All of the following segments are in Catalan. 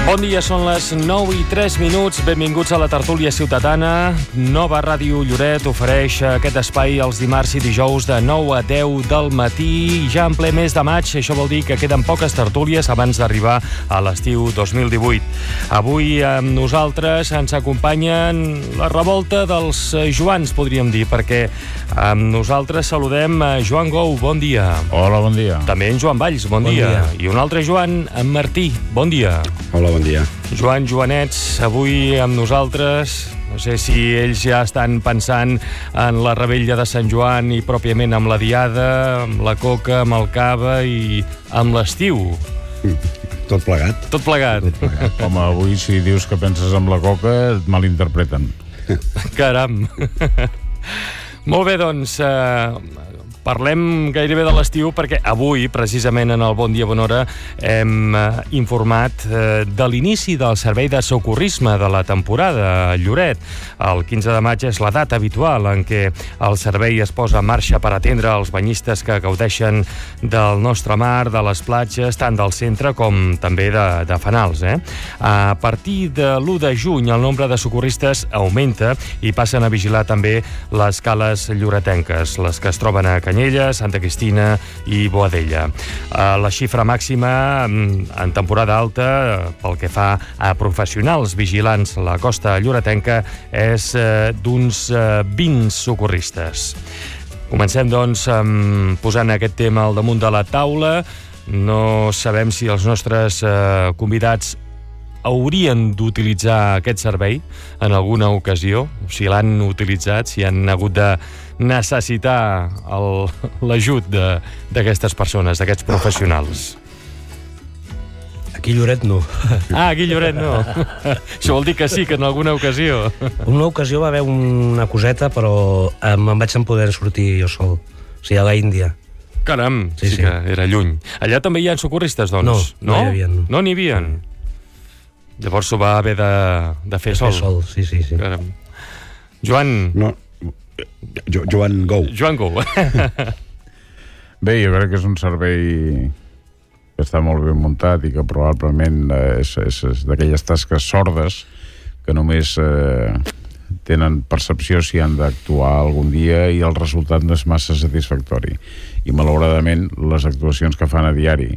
Bon dia, són les 9:03. Benvinguts a la tertúlia ciutadana. Nova Ràdio Lloret ofereix aquest espai els dimarts i dijous de 9 a 10 del matí. Ja en ple mes de maig, això vol dir que queden poques tertúlies abans d'arribar a l'estiu 2018. Avui amb nosaltres ens acompanyen la revolta dels Joans, podríem dir, perquè amb nosaltres saludem a Joan Gou, bon dia. Hola, bon dia. També en Joan Valls, bon dia. I un altre Joan, en Martí, bon dia. Hola, bon dia. Joan, Joanets, avui amb nosaltres. No sé si ells ja estan pensant en la revetlla de Sant Joan i pròpiament amb la diada, amb la coca, amb el cava i amb l'estiu. Tot plegat. Tot plegat. Home, avui si dius que penses en la coca et malinterpreten. Caram. Molt bé, doncs, parlem gairebé de l'estiu perquè avui, precisament en el Bon Dia Bona Hora, hem informat de l'inici del servei de socorrisme de la temporada a Lloret. El 15 de maig és la data habitual en què el servei es posa en marxa per atendre els banyistes que gaudeixen del nostre mar, de les platges, tant del centre com també de fanals. A partir de l'1 de juny el nombre de socorristes augmenta i passen a vigilar també les cales lloretenques, les que es troben a Canyelles, Santa Cristina i Boadella. La xifra màxima en temporada alta, pel que fa a professionals vigilants a la costa lloretenca, és d'uns 20 socorristes. Comencem, doncs, posant aquest tema al damunt de la taula. No sabem si els nostres convidats haurien d'utilitzar aquest servei en alguna ocasió, si l'han utilitzat, si han hagut de necessitar l'ajut d'aquestes persones, d'aquests professionals. Aquí a Lloret no. Aquí a Lloret no. Això vol dir que sí, que en alguna ocasió. En una ocasió va haver una coseta, però me'n vaig poder sortir jo sol. O sigui, a l'Índia. Caram, sí que era lluny. Allà també hi ha socorristes, doncs? No hi havia. No n'hi havia. Llavors s'ho va haver de fer sol. Sí. Caram. Joan... No, Joan Gou. Joan Gou. Bé, jo crec que és un servei que està molt ben muntat i que probablement és d'aquelles tasques sordes que només tenen percepció si han d'actuar algun dia i el resultat no és massa satisfactori. I malauradament les actuacions que fan a diari,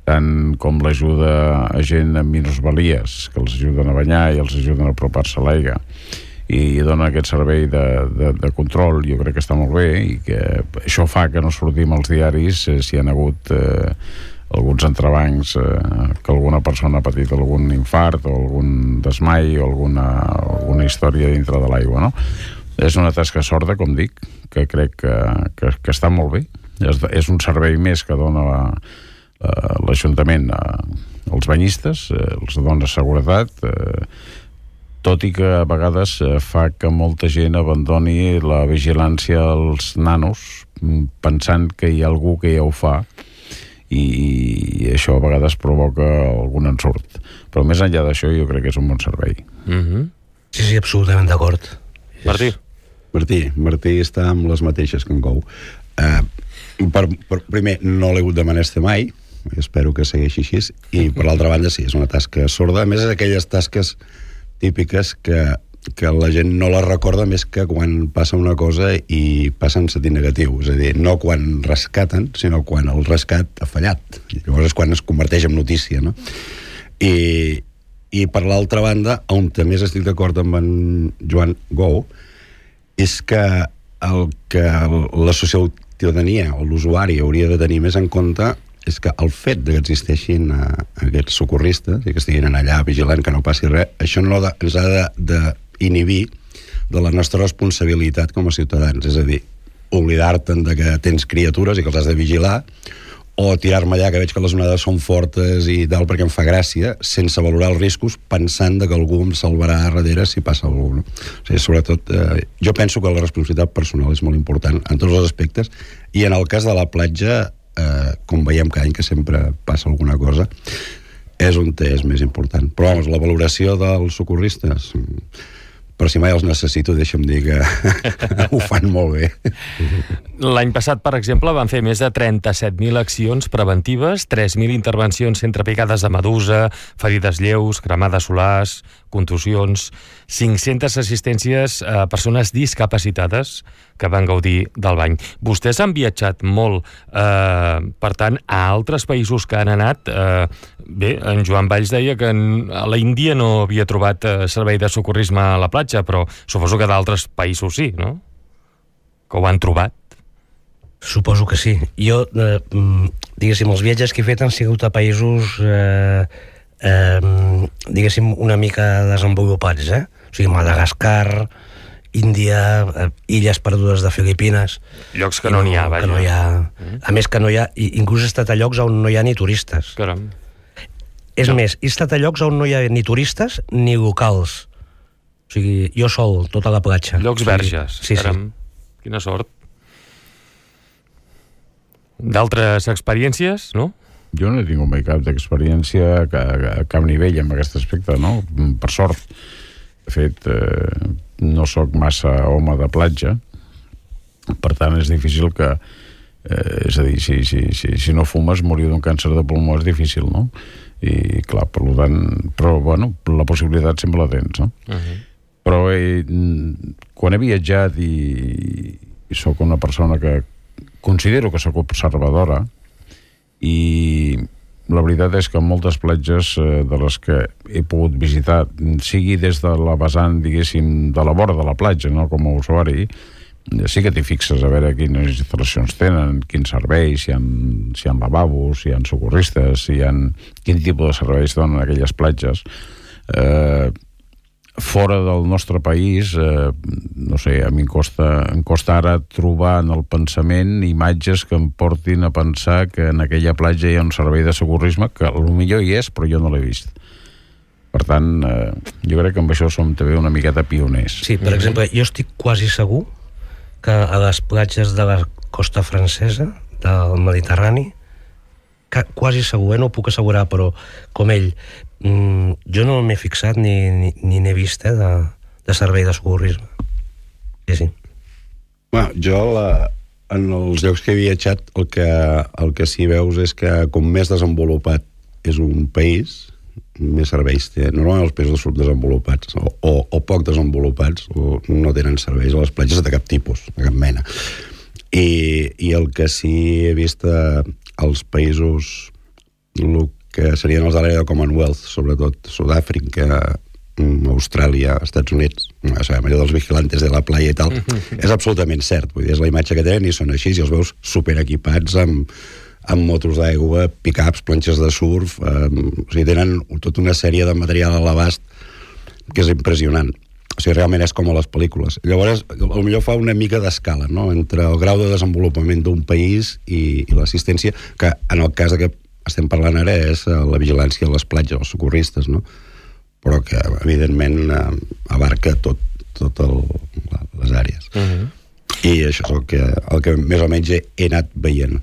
tant com l'ajuda a gent amb minusvalies, que els ajuden a banyar i els ajuden a apropar-se a l'aigua, i dona aquest servei de control, jo crec que està molt bé, i que això fa que no sortim als diaris si hi ha hagut alguns entrebancs, que alguna persona ha patit algun infart o algun desmai o alguna història dintre de l'aigua, no? És una tasca sorda, com dic, que crec que està molt bé. És un servei més que dona l'Ajuntament als banyistes, els dona seguretat, tot i que a vegades fa que molta gent abandoni la vigilància als nanos pensant que hi ha algú que ja ho fa, i això a vegades provoca algun ensurt. Però més enllà d'això jo crec que és un bon servei. Sí, absolutament d'acord. Martí està amb les mateixes que en Gou. Primer, no l'he hagut de menester mai, espero que segueixi així, i per l'altra banda sí, és una tasca sorda. A més, és aquelles tasques típiques que la gent no la recorda més que quan passa una cosa i passa en sentit negatiu, és a dir, no quan rescaten, sinó quan el rescat ha fallat. Llavors és quan es converteix en notícia, no? I per l'altra banda, on també estic d'acord amb en Joan Gou, és que el que la ciutadania o l'usuari hauria de tenir més en compte és que el fet que existeixin aquests socorristes i que estiguin allà vigilant que no passi res, això no ens ha d'inhibir de la nostra responsabilitat com a ciutadans, és a dir, oblidar-te'n de que tens criatures i que els has de vigilar, o tirar-me allà que veig que les onades són fortes i tal perquè em fa gràcia, sense valorar els riscos, pensant que algú em salvarà a darrere si passa algú, no? O sigui, sobretot, jo penso que la responsabilitat personal és molt important en tots els aspectes, i en el cas de la platja, com veiem cada any que sempre passa alguna cosa, és on és més important. Però, vamos, la valoració dels socorristes però si mai els necessito, deixa'm dir que ho fan molt bé. L'any passat, per exemple, van fer més de 37.000 accions preventives, 3.000 intervencions entre picades de medusa, ferides lleus, cremades solars, contusions, 500 assistències a persones discapacitades que van gaudir del bany. Vostès han viatjat molt, per tant, a altres països que han anat. Bé, en Joan Valls deia que a la Índia no havia trobat servei de socorrisme a la platja, però suposo que d'altres països sí, no? Que ho han trobat. Suposo que sí. Jo, diguéssim, els viatges que he fet han sigut a països, diguéssim, una mica desenvolupats, O sigui, Madagascar, Índia, illes perdudes de Filipines. Llocs que no n'hi ha, vaja. Que no hi ha. A més que no hi ha, inclús he estat a llocs on no hi ha ni turistes. Caram. És més, he estat a llocs on no hi ha ni turistes ni locals. O sigui, jo sol, tota la platja. Llocs verges. Sí, caram. Quina sort. D'altres experiències, no? Jo no he tingut mai cap d'experiència a cap nivell en aquest aspecte, no? Per sort. De fet, no sóc massa home de platja, per tant és difícil que... és a dir, si no fumes, morir d'un càncer de pulmó és difícil, no? I clar, per tant... Però, bueno, la possibilitat sempre la tens, no? Però quan he viatjat i sóc una persona que considero que sóc observadora, i la veritat és que moltes platges de les que he pogut visitar, sigui des de la vessant, diguéssim, de la vora de la platja, no, com a usuari, sí que t'hi fixes a veure quines instal·lacions tenen, quins serveis, si hi ha lavabos, si hi ha socorristes, quin tipus de serveis donen aquelles platges. Fora del nostre país, no sé, a mi em costa ara trobar en el pensament imatges que em portin a pensar que en aquella platja hi ha un servei de socorrisme, que potser hi és, però jo no l'he vist. Per tant, jo crec que amb això som també una miqueta pioners. Sí, per exemple, jo estic quasi segur que a les platges de la costa francesa, del Mediterrani, quasi segur, no ho puc assegurar, però com ell, jo no m'he fixat ni n'he vist de servei de socorrisme. Sí. Bueno, jo en els llocs que he viatjat el que sí veus és que com més desenvolupat és un país, més serveis té. Normalment els països subdesenvolupats o poc desenvolupats no tenen serveis a les platges de cap tipus, de cap mena. I el que sí he vist als països el que serien els de l'àrea de Commonwealth, sobretot Sud-àfrica, Austràlia, Estats Units, sabem, allò dels vigilantes de la playa i tal, és absolutament cert. Vull dir, és la imatge que tenen i són així, i els veus superequipats amb motos d'aigua, pick-ups, planxes de surf, o sigui, tenen tota una sèrie de material a l'abast que és impressionant. O sigui, realment és com a les pel·lícules. Llavors, potser fa una mica d'escala, no?, entre el grau de desenvolupament d'un país i l'assistència, que en el cas que estem parlant ara és la vigilància a les platges, els socorristes, no?, però que, evidentment, abarca totes les àrees. I això és el que més o menys he anat veient.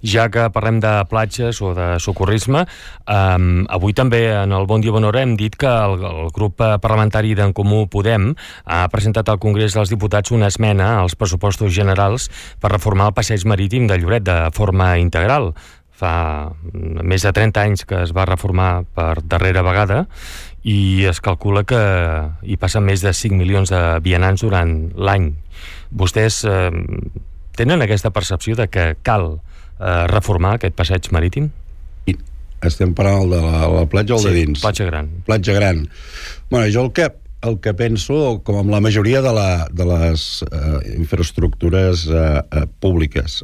Ja que parlem de platges o de socorrisme, avui també en el Bon Dia Bona Hora hem dit que el grup parlamentari d'en Comú Podem ha presentat al Congrés dels Diputats una esmena als pressupostos generals per reformar el passeig marítim de Lloret de forma integral. Fa més de 30 anys que es va reformar per darrera vegada i es calcula que hi passen més de 5 milions de vianants durant l'any. Vostès tenen aquesta percepció de que cal reformar aquest passeig marítim? Estem parlant de la platja o de dins? Sí, platja gran. Platja gran. Bueno, jo el que penso, com amb la majoria de les infraestructures públiques,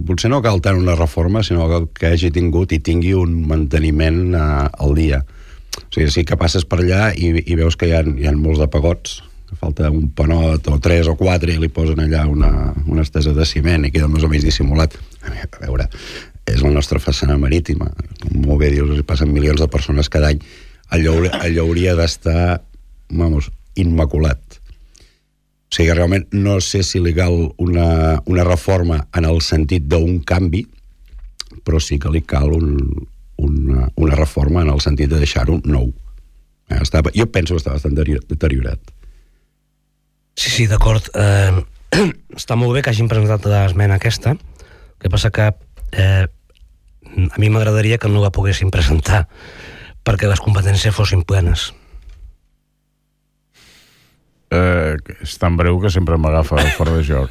potser no cal tant una reforma, sinó que hagi tingut i tingui un manteniment al dia. O sigui, sí que passes per allà i veus que hi ha molts de pagots, que falta un panot o 3 o 4 i li posen allà una estesa de ciment i queda més o menys dissimulat. A veure, és la nostra façana marítima. Com molt bé dius, hi passen milions de persones cada any. Allò hauria d'estar, immaculat. O sigui, realment no sé si li cal una reforma en el sentit d'un canvi, però sí que li cal una reforma en el sentit de deixar-ho nou. Jo penso que està bastant deteriorat. Sí, d'acord. Està molt bé que hagin presentat l'esmena aquesta. El que passa que a mi m'agradaria que no la poguessin presentar perquè les competències fossin plenes. És tan breu que sempre m'agafa fora de joc.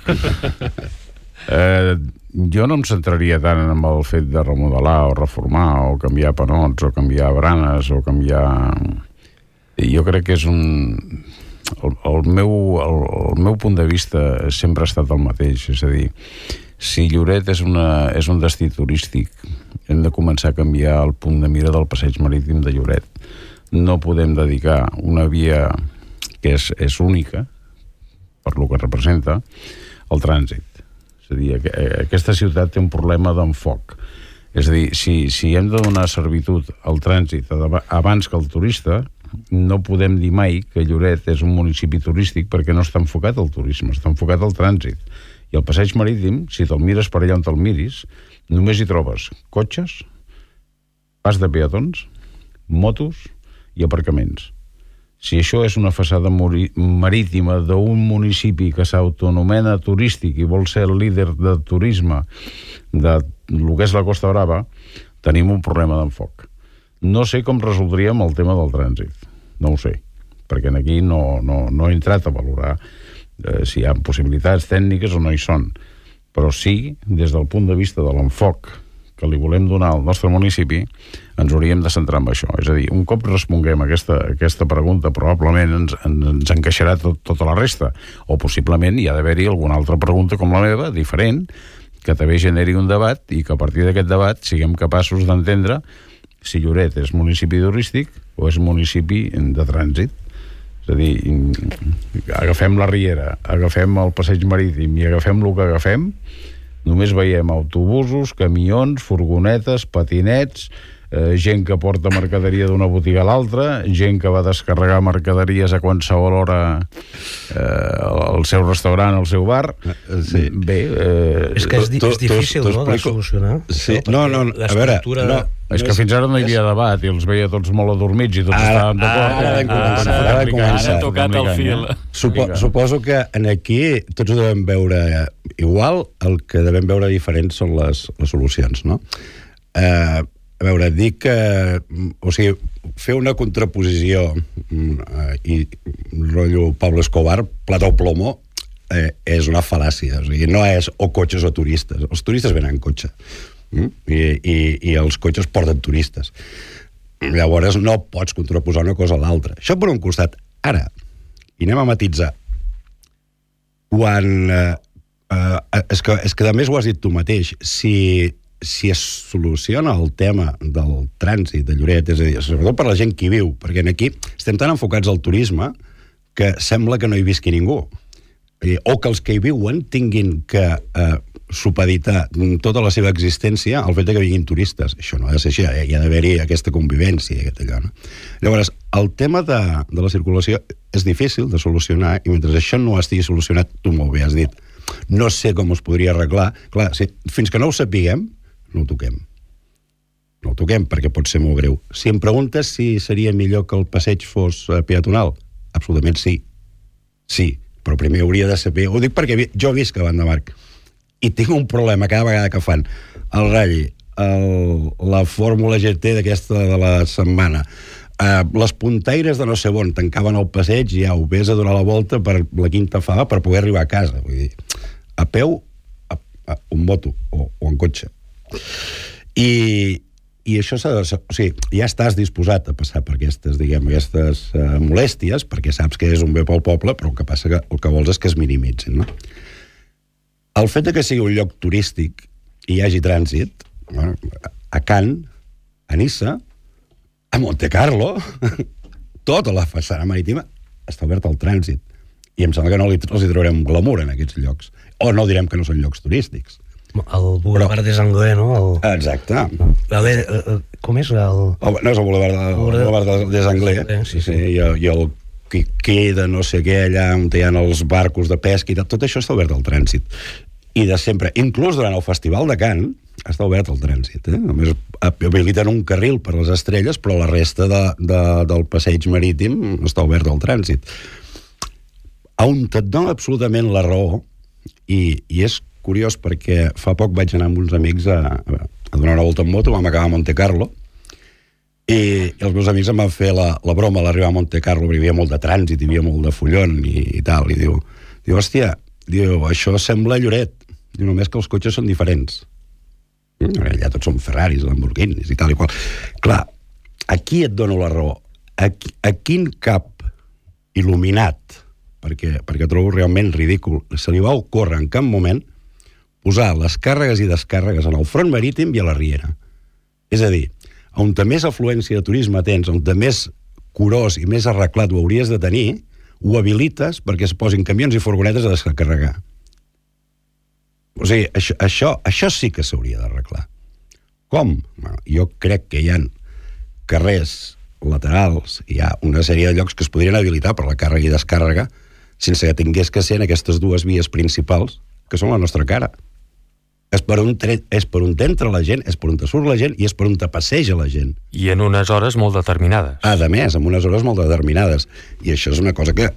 Jo no em centraria tant en el fet de remodelar o reformar o canviar panots o canviar branes o canviar... Jo crec que és un... El meu punt de vista sempre ha estat el mateix, és a dir, si Lloret és un destí turístic, hem de començar a canviar el punt de mira del passeig marítim de Lloret. No podem dedicar una via que és única, per lo que representa, al trànsit. És a dir, aquesta ciutat té un problema d'enfoc. És a dir, si hem de donar servitud al trànsit abans que al turista, no podem dir mai que Lloret és un municipi turístic perquè no està enfocat al turisme, està enfocat al trànsit. I el passeig marítim, si te'l mires per allà on te'l miris, només hi trobes cotxes, pas de peatons, motos i aparcaments. Si això és una façana marítima d'un municipi que s'autonomena turístic i vol ser el líder de turisme de lo que és la Costa Brava, tenim un problema d'enfoc. No sé com resoldríem el tema del trànsit, no ho sé, perquè aquí no he entrat a valorar si hi ha possibilitats tècniques o no hi són, però sí, des del punt de vista de l'enfoc que li volem donar al nostre municipi, ens hauríem de centrar en això. És a dir, un cop responguem aquesta pregunta, probablement ens encaixarà tota la resta, o possiblement hi ha d'haver-hi alguna altra pregunta com la meva, diferent, que també generi un debat i que a partir d'aquest debat siguem capaços d'entendre si Lloret és municipi turístic o és municipi de trànsit. És a dir, agafem la Riera, agafem el passeig marítim i agafem el que agafem, només veiem autobusos, camions, furgonetes, patinets, gent que porta mercaderia d'una botiga a l'altra, gent que va descarregar mercaderies a qualsevol hora al seu restaurant, al seu bar. Sí. Bé... És que és difícil, no?, de solucionar. Sí. No, a veure... És que fins ara no hi havia debat i els veia tots molt adormits i tots estaven d'acord. Ara ha tocat el fil. Suposo que aquí tots ho devem veure igual, el que devem veure diferents són les solucions, no? A veure, dic que... O sigui, fer una contraposició i rotllo Pablo Escobar, plata o plomo, és una fal·làcia. O sigui, no és o cotxes o turistes. Els turistes venen en cotxe. I els cotxes porten turistes. Llavors no pots contraposar una cosa a l'altra. Això per un costat. Ara, i anem a matitzar, quan és que a més ho has dit tu mateix, si es soluciona el tema del trànsit de Lloret, és a dir, sobretot per la gent que hi viu, perquè aquí estem tan enfocats al turisme que sembla que no hi visqui ningú, o que els que hi viuen tinguin que supeditar tota la seva existència al fet que vinguin turistes. Això no ha de ser així, hi ha d'haver-hi aquesta convivència, no? Llavors, el tema de la circulació és difícil de solucionar i mentre això no estigui solucionat, tu molt bé has dit, no sé com es podria arreglar. Clar, fins que no ho sapiguem, no ho toquem. No ho toquem, perquè pot ser molt greu. Si em preguntes si seria millor que el passeig fos peatonal, absolutament sí. Sí, però primer hauria de saber... Ho dic perquè jo visc a Vandamarc i tinc un problema cada vegada que fan el ratll, la Fórmula GT d'aquesta de la setmana, les puntaires de no sé on tancaven el passeig i au, vés a donar la volta per la Quinta Fava per poder arribar a casa. Vull dir, a peu, en moto o en cotxe. I això o sigui, ja estàs disposat a passar per aquestes molèsties, perquè saps que és un bé pel poble, però el que passa que el que vols és que es minimitzin, no? El fet que sigui un lloc turístic i hi hagi trànsit, a Cannes, a Niça, a Montecarlo, tota la façana marítima està oberta al trànsit. I em sembla que no els hi traurem glamour en aquests llocs. O no direm que no són llocs turístics. El Boulevard des Anglais, no? Exacte. Com és? No és el Boulevard des Anglais. Sí. I el que queda no sé què allà on hi ha els barcos de pesca i tot això està obert al trànsit. I de sempre, inclús durant el Festival de Cannes, està obert el trànsit. Només habiliten un carril per les estrelles, però la resta del passeig marítim està obert al trànsit. on et dona absolutament la raó, i és curiós perquè fa poc vaig anar amb uns amics a donar una volta en moto, vam acabar a Monte Carlo, i els meus amics em van fer la broma a l'arribar a Monte Carlo, perquè hi havia molt de trànsit, hi havia molt de follon i tal, i diu, hòstia, això sembla Lloret, diu, només que els cotxes són diferents. Allà tots són Ferraris, Lamborghinis i tal i qual. Clar, aquí et dono la raó. A quin cap il·luminat, perquè trobo realment ridícul, se li va ocórrer en cap moment posar les càrregues i descàrregues en el front marítim i a la Riera. És a dir, on més afluència de turisme tens, on més curós i més arreglat ho hauries de tenir, ho habilites perquè es posin camions i furgonetes a descarregar. O sigui, això sí que s'hauria d'arreglar. Com? Bueno, jo crec que hi ha carrers laterals, hi ha una sèrie de llocs que es podrien habilitar per la càrrega i descàrrega sense que tingués que ser en aquestes dues vies principals que són la nostra cara. És per on t'entra la gent, és per on te surt la gent i és per on te passeja la gent. I en unes hores molt determinades. A més, en unes hores molt determinades. I això és una cosa que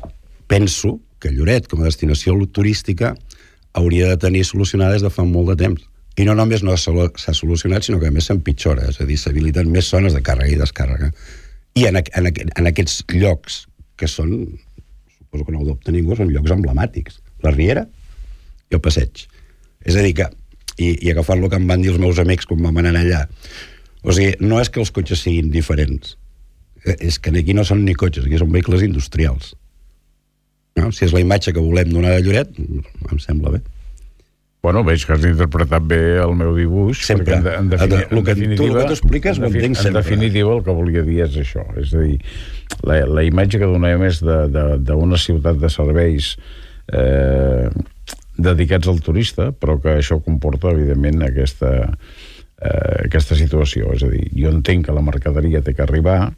penso que Lloret, com a destinació turística, hauria de tenir solucionada des de fa molt de temps. I no només no s'ha solucionat, sinó que a més s'empitjora, és a dir, s'habiliten més zones de càrrega i descàrrega. I en aquests llocs, que són, suposo que no ho dubta ningú, són llocs emblemàtics. La Riera i el Passeig. És a dir que, i agafant el que em van dir els meus amics quan vam anar allà, o sigui, no és que els cotxes siguin diferents, és que aquí no són ni cotxes, aquí són vehicles industrials. No? Si és la imatge que volem donar de Lloret, em sembla bé. Bueno, veig que has interpretat bé el meu dibuix. Sempre. En definitiva, el que tu expliques ho entenc sempre. En definitiva, el que volia dir és això. És a dir, la imatge que donem és d'una ciutat de serveis dedicats al turista, però que això comporta, evidentment, aquesta situació. És a dir, jo entenc que la mercaderia té que arribar,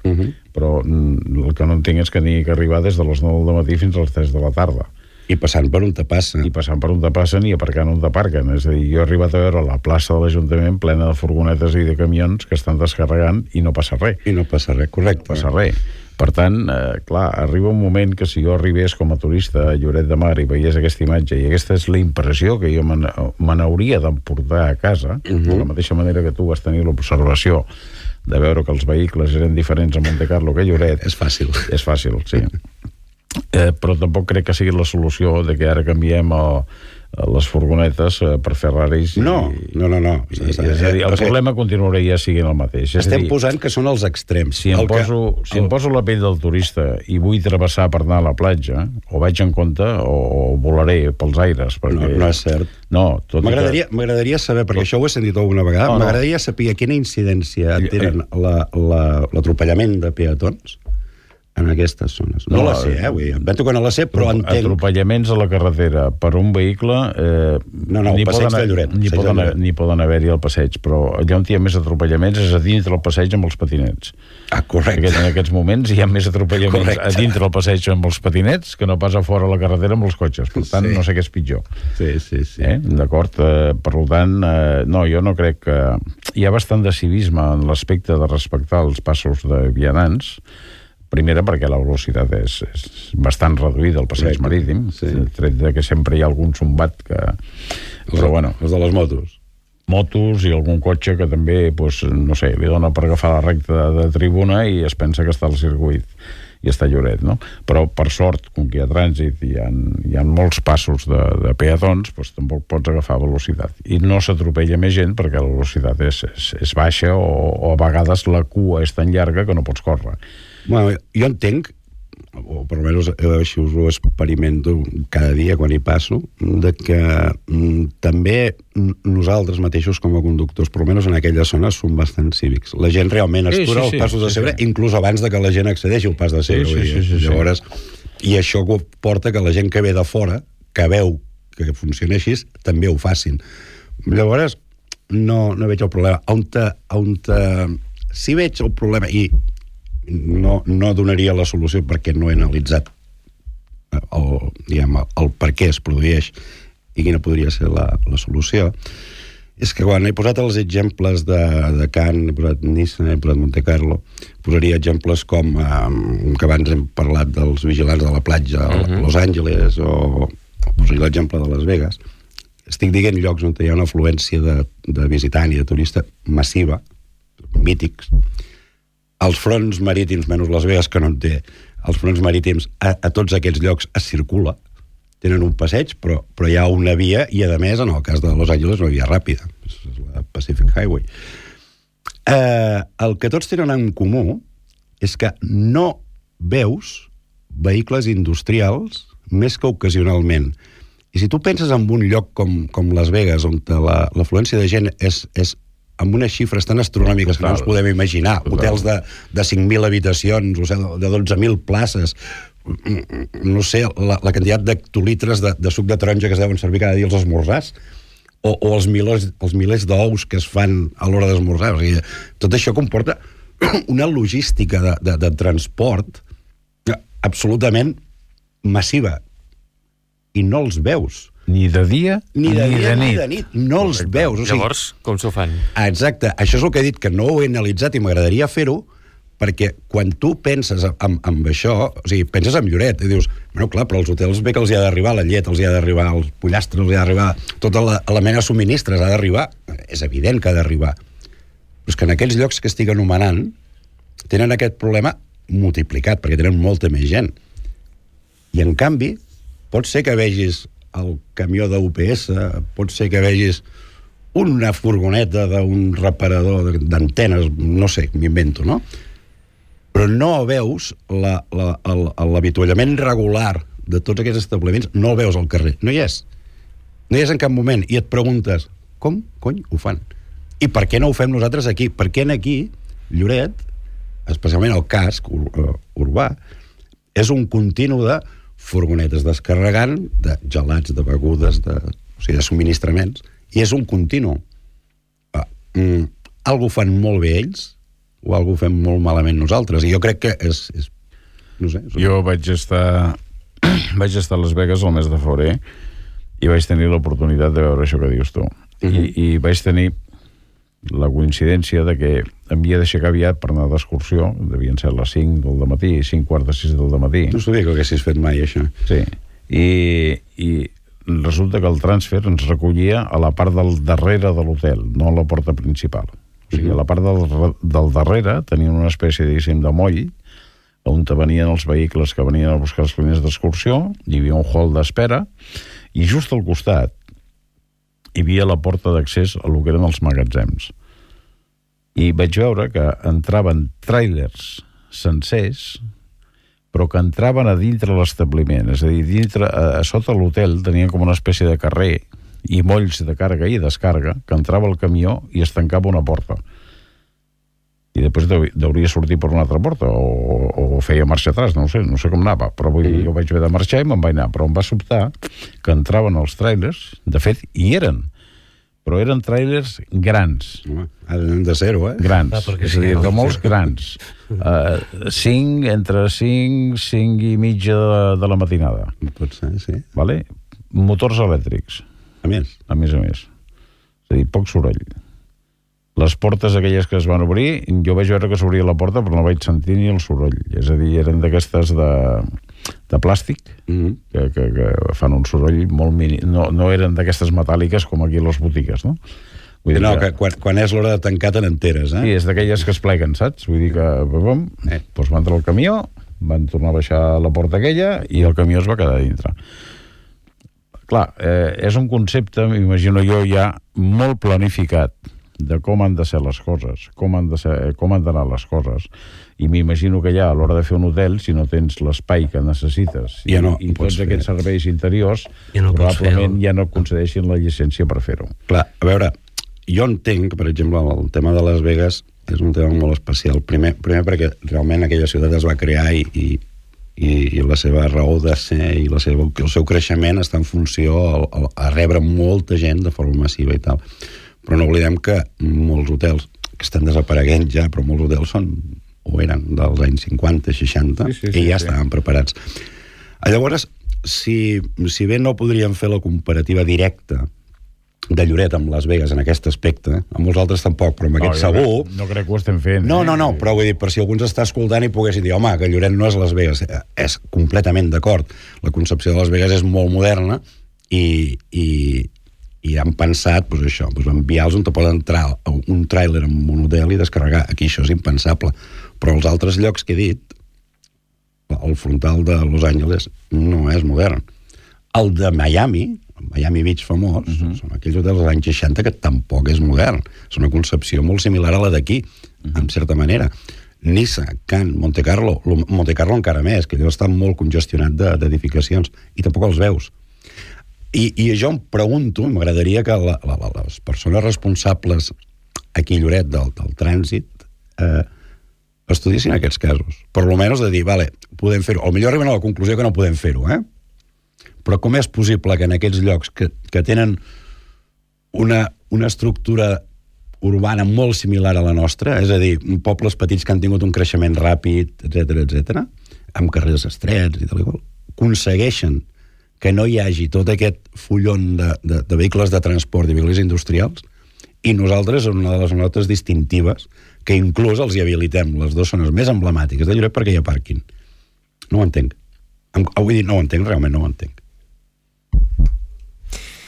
però el que no entenc és que n'hi ha que arribar des de les 9 del matí fins a les 3 de la tarda. I passant per on te passen. I passant per on te passen i aparcant on t'aparquen. És a dir, jo he arribat a veure la plaça de l'Ajuntament plena de furgonetes i de camions que estan descarregant i no passa res. I no passa res, correcte. No passa res. Per tant, clar, arriba un moment que si jo arribés com a turista a Lloret de Mar i veiés aquesta imatge, i aquesta és la impressió que jo me n'hauria d'emportar a casa, de la mateixa manera que tu vas tenir l'observació de veure que els vehicles eren diferents a Monte Carlo que a Lloret. És fàcil. És fàcil, sí. Però tampoc crec que sigui la solució de que ara canviem les furgonetes per Ferraris. No. És a dir, el problema continuaria sent el mateix. Estem posant que són els extrems. Si em poso la pell del turista i vull travessar per anar a la platja, o vaig en compte o volaré pels aires. No és cert. No, m'agradaria saber, perquè això ho he sentit alguna vegada, m'agradaria saber quina incidència tenen l'atropellament de peatons en aquestes zones. No la sé, vam tocar no la sé, però entenc... Atropellaments a la carretera per un vehicle... el passeig de Lloret. N'hi poden haver-hi al passeig, però allà on hi ha més atropellaments és a dintre el passeig amb els patinets. Correcte. En aquests moments hi ha més atropellaments a dintre el passeig amb els patinets que no pas a fora a la carretera amb els cotxes. Per tant, no sé què és pitjor. Sí. D'acord? Per tant, no, jo no crec que... Hi ha bastant de civisme en l'aspecte de respectar els passos de vianants. Primera, perquè la velocitat és bastant reduïda al passeig marítim, tret que sempre hi ha algun zumbat que... Però bueno... Els de les motos. Motos i algun cotxe que també, no sé, li dona per agafar la recta de tribuna i es pensa que està al circuit i està a Lloret, no? Però, per sort, com que hi ha trànsit i hi ha molts passos de peatons, tampoc pots agafar velocitat. I no s'atropella més gent perquè la velocitat és baixa o a vegades la cua és tan llarga que no pots córrer. Bueno, jo entenc, o per almenys així us ho experimento cada dia quan hi passo, de que també nosaltres mateixos com a conductors, per almenys en aquelles zones, som bastant cívics. La gent realment atura els passos de Segre, inclús abans de que la gent accedeixi al pas de Segre. Llavors, i això porta que la gent que ve de fora, que veu que funciona així, també ho facin. Llavors, no veig el problema. Si veig el problema, i no donaria la solució perquè no he analitzat el per què es produeix i quina podria ser la solució, És que quan he posat els exemples de Cannes, he posat Nice, he posat Monte Carlo, posaria exemples com que abans hem parlat dels vigilants de la platja a Los Angeles, o posaria l'exemple de Las Vegas. Estic dient llocs on hi ha una afluència de visitant i de turista massiva, mítics. Els fronts marítims, menys Las Vegas, que no en té, els fronts marítims, a tots aquests llocs es circula, tenen un passeig, però hi ha una via, i a més, en el cas de Los Angeles, una via ràpida, és la Pacific Highway. El que tots tenen en comú és que no veus vehicles industrials més que ocasionalment. I si tu penses en un lloc com Las Vegas, on l'afluència de gent és amb unes xifres tan astronòmiques que no ens podem imaginar, hotels de 5.000 habitacions, o sigui, de 12.000 places, no sé, la quantitat d'hectolitres de suc de taronja que es deuen servir cada dia als esmorzars, o els milers d'ous que es fan a l'hora d'esmorzar. O sigui, tot això comporta una logística de transport absolutament massiva, i no els veus. Ni de dia ni de nit. No els veus. O sigui, llavors, com s'ho fan? Exacte. Això és el que he dit, que no ho he analitzat i m'agradaria fer-ho, perquè quan tu penses en això, o sigui, penses en Lloret, i dius, bueno, clar, però als hotels bé que els hi ha d'arribar la llet, els hi ha d'arribar els pollastres, els hi ha d'arribar tota la mena de subministres, ha d'arribar, és evident que ha d'arribar. Però és que en aquells llocs que estic anomenant tenen aquest problema multiplicat, perquè tenen molta més gent. I en canvi, pot ser que vegis el camió d'UPS, pot ser que vegis una furgoneta d'un reparador d'antenes, no sé, m'invento, no? Però no veus l'avituallament regular de tots aquests establiments, no el veus al carrer, no hi és. No hi és en cap moment, i et preguntes, com cony ho fan? I per què no ho fem nosaltres aquí? Per què aquí, Lloret, especialment el casc urbà, és un continu de furgonetes descarregant, de gelats, de begudes, de subministraments, i és un continu. Algú fan molt bé ells, o algú fem molt malament nosaltres, i jo crec que és no sé. Jo vaig estar a Las Vegas el mes de febrer i vaig tenir l'oportunitat de veure això que dius tu. I vaig tenir la coincidència de que havia d'aixecar aviat per anar d'excursió, devien ser les 5 del dematí, 5:45 del dematí. No sabia que ho haguessis fet mai, això. Sí, i resulta que el transfer ens recollia a la part del darrere de l'hotel, no a la porta principal. O sigui, a la part del darrere tenien una espècie, diguéssim, de moll, on venien els vehicles que venien a buscar els clients d'excursió, hi havia un hall d'espera, i just al costat hi havia la porta d'accés a lo que eren els magatzems. I vaig veure que entraven tràilers sencers, però que entraven a dintre l'establiment, és a dir, a sota l'hotel tenien com una espècie de carrer i molls de càrrega i descàrrega, que entrava el camió i es tancava una porta. I després hauria sortit per una altra porta, o feia marxa atràs, no sé com anava, però jo vaig haver de marxar i me'n vaig anar, però em va sobtar que entraven els tràilers, de fet, hi eren, però eren tràilers grans. Home, de zero, Grans, és a dir, de molts grans. 5, entre 5 i mitja de la matinada. Pot ser, sí. Vale? Motors elèctrics. A més. A més. És a dir, poc soroll. Les portes aquelles que es van obrir, jo vaig veure que s'obria la porta, però no vaig sentir ni el soroll. És a dir, eren d'aquestes de plàstic, que fan un soroll molt mínim. No eren d'aquestes metàl·liques com aquí a les botigues, no? Vull dir que quan és l'hora de tancar te n'enteres, Sí, és d'aquelles que es pleguen, saps? Vull dir que doncs va entrar el camió, van tornar a baixar la porta aquella i el camió es va quedar dintre. Clar, és un concepte, m'imagino jo, ja molt planificat de com han de ser les coses, com han d'anar les coses, i m'imagino que ja a l'hora de fer un hotel, si no tens l'espai que necessites i tots aquests serveis interiors, probablement ja no et concedeixin la llicència per fer-ho. Clar, a veure, jo entenc que, per exemple, el tema de Las Vegas és un tema molt especial. Primer perquè realment aquella ciutat es va crear i la seva raó de ser i el seu creixement està en funció a rebre molta gent de forma massiva i tal. Però no oblidem que molts hotels, que estan desapareguent ja, però molts hotels eren dels anys 50, 60, i ja estaven preparats. Llavors, si bé no podríem fer la comparativa directa de Lloret amb Las Vegas en aquest aspecte, amb molts altres tampoc, però amb aquest segur... No crec que ho estem fent. No, però vull dir, per si algú ens està escoltant i poguessin dir, home, que Lloret no és Las Vegas, és completament d'acord. La concepció de Las Vegas és molt moderna i han pensat, doncs això, enviar-los on te poden entrar un tràiler amb un hotel i descarregar. Aquí això és impensable. Però els altres llocs que he dit, el frontal de Los Angeles no és modern. El de Miami Beach famós, són aquells hotels dels anys 60 que tampoc és modern. És una concepció molt similar a la d'aquí, en certa manera. Niça, Cannes, Monte Carlo encara més, que allò està molt congestionat d'edificacions, i tampoc els veus. I jo em pregunto, m'agradaria que les persones responsables aquí a Lloret del trànsit estudiessin aquests casos. Per almenys de dir, vale, podem fer-ho. Potser arriben a la conclusió que no podem fer-ho, però com és possible que en aquests llocs que tenen una estructura urbana molt similar a la nostra, és a dir, pobles petits que han tingut un creixement ràpid, etc, amb carrers estrets i tal i qual, aconsegueixen que no hi hagi tot aquest fullon de vehicles de transport i vehicles industrials, i nosaltres, en una de les notes distintives, que inclús els hi habilitem les dues zones més emblemàtiques de Lloret perquè hi ha pàrquing. No ho entenc. Vull dir, no ho entenc, realment no ho entenc.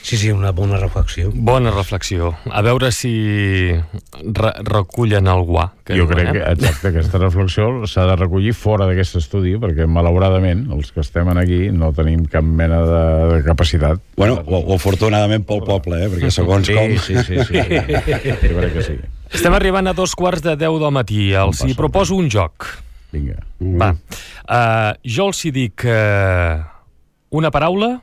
Sí, una bona reflexió. Bona reflexió. A veure si recullen el guà. Jo crec que, exacte, aquesta reflexió s'ha de recollir fora d'aquest estudi, perquè, malauradament, els que estem aquí no tenim cap mena de capacitat. Bueno, o afortunadament pel poble, perquè segons com... Sí. Jo crec que sí. Estem arribant a 2:15 del matí. Els hi proposo un joc. Vinga. Va. Jo els hi dic una paraula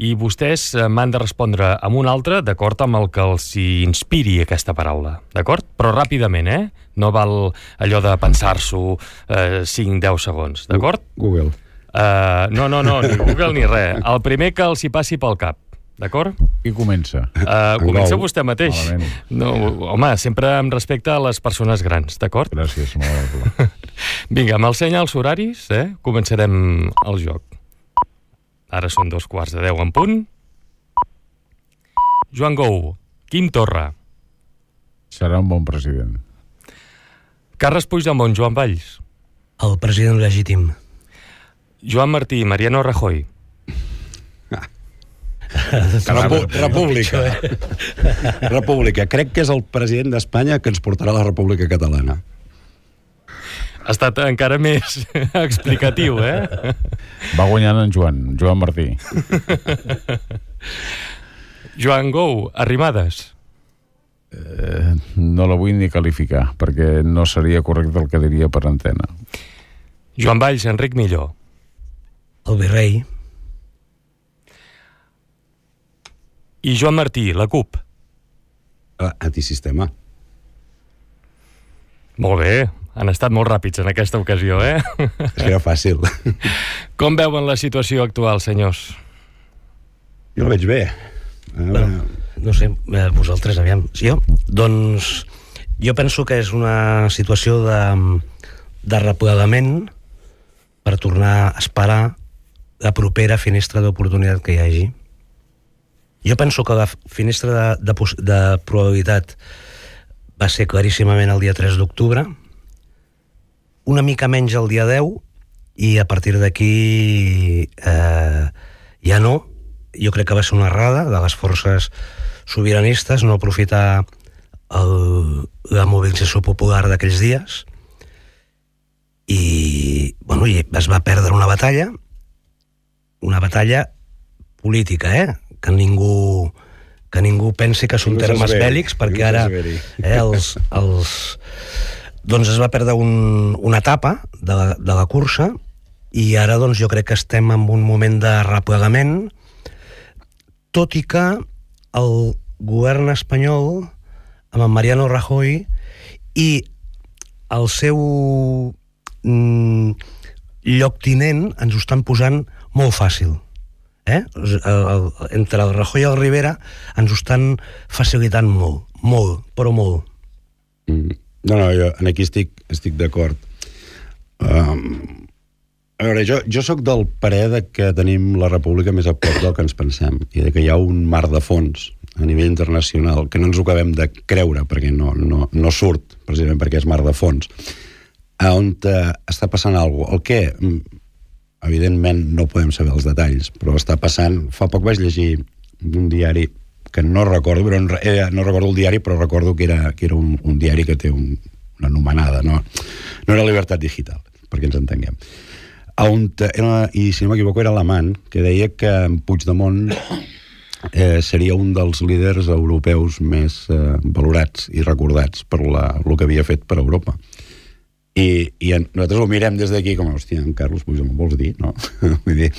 i vostès m'han de respondre amb una altra d'acord amb el que els inspiri aquesta paraula, d'acord? Però ràpidament, No val allò de pensar-s'ho 5-10 segons, d'acord? Google. No, ni Google ni res. El primer que els hi passi pel cap, d'acord? Qui comença? Comença vostè mateix. Malament. No, home, sempre amb respecte a les persones grans, d'acord? Gràcies, molt amable. Vinga, m'ensenya els horaris, començarem el joc. Ara són 2:15 en punt. Joan Gou, Quim Torra. Serà un bon president. Carles Puigdemont, Joan Valls. El president legítim. Joan Martí, Mariano Rajoy. República. República. Crec que és el president d'Espanya que ens portarà a la República Catalana. Ha estat encara més explicatiu, Va guanyant en Joan Martí. Joan Gou, Arrimadas. No la vull ni qualificar, perquè no seria correcte el que diria per antena. Joan Valls, Enric Milló. El virrei. I Joan Martí, la CUP. Antisistema. Molt bé, han estat molt ràpids en aquesta ocasió, És que era fàcil. Com veuen la situació actual, senyors? Jo la veig bé. No sé, vosaltres, aviam. Doncs jo penso que és una situació de replegament per tornar a esperar la propera finestra d'oportunitat que hi hagi. Jo penso que la finestra de probabilitat va ser claríssimament el dia 3 d'octubre, una mica menys el dia 10, i a partir d'aquí ja no. Jo crec que va ser una errada de les forces sobiranistes no aprofitar la mobilització popular d'aquells dies i es va perdre una batalla política, que ningú pensi que són termes bèl·lics, perquè ara doncs es va perdre una etapa de la cursa i ara doncs jo crec que estem en un moment de replegament, tot i que el govern espanyol amb en Mariano Rajoy i el seu lloctinent ens ho estan posant molt fàcil. Entre el Rajoy i el Rivera ens ho estan facilitant molt, però molt. No, jo aquí estic d'acord. A veure, jo sóc del parer que tenim la república més a prop del que ens pensem i que hi ha un mar de fons a nivell internacional, que no ens ho acabem de creure, perquè no surt, precisament perquè és mar de fons, on està passant alguna cosa. El què? Evidentment no podem saber els detalls, però està passant... Fa poc vaig llegir un diari que no recordo, no recordo el diari, però recordo que era un diari que té una anomenada, no era Libertat Digital, perquè ens entenguem. I si no m'equivoco era alemany, que deia que Puigdemont seria un dels líders europeus més valorats i recordats per el que havia fet per Europa. I nosaltres ho mirem des d'aquí com, hòstia, en Carlos Puigdemont vols dir, no? Vull dir,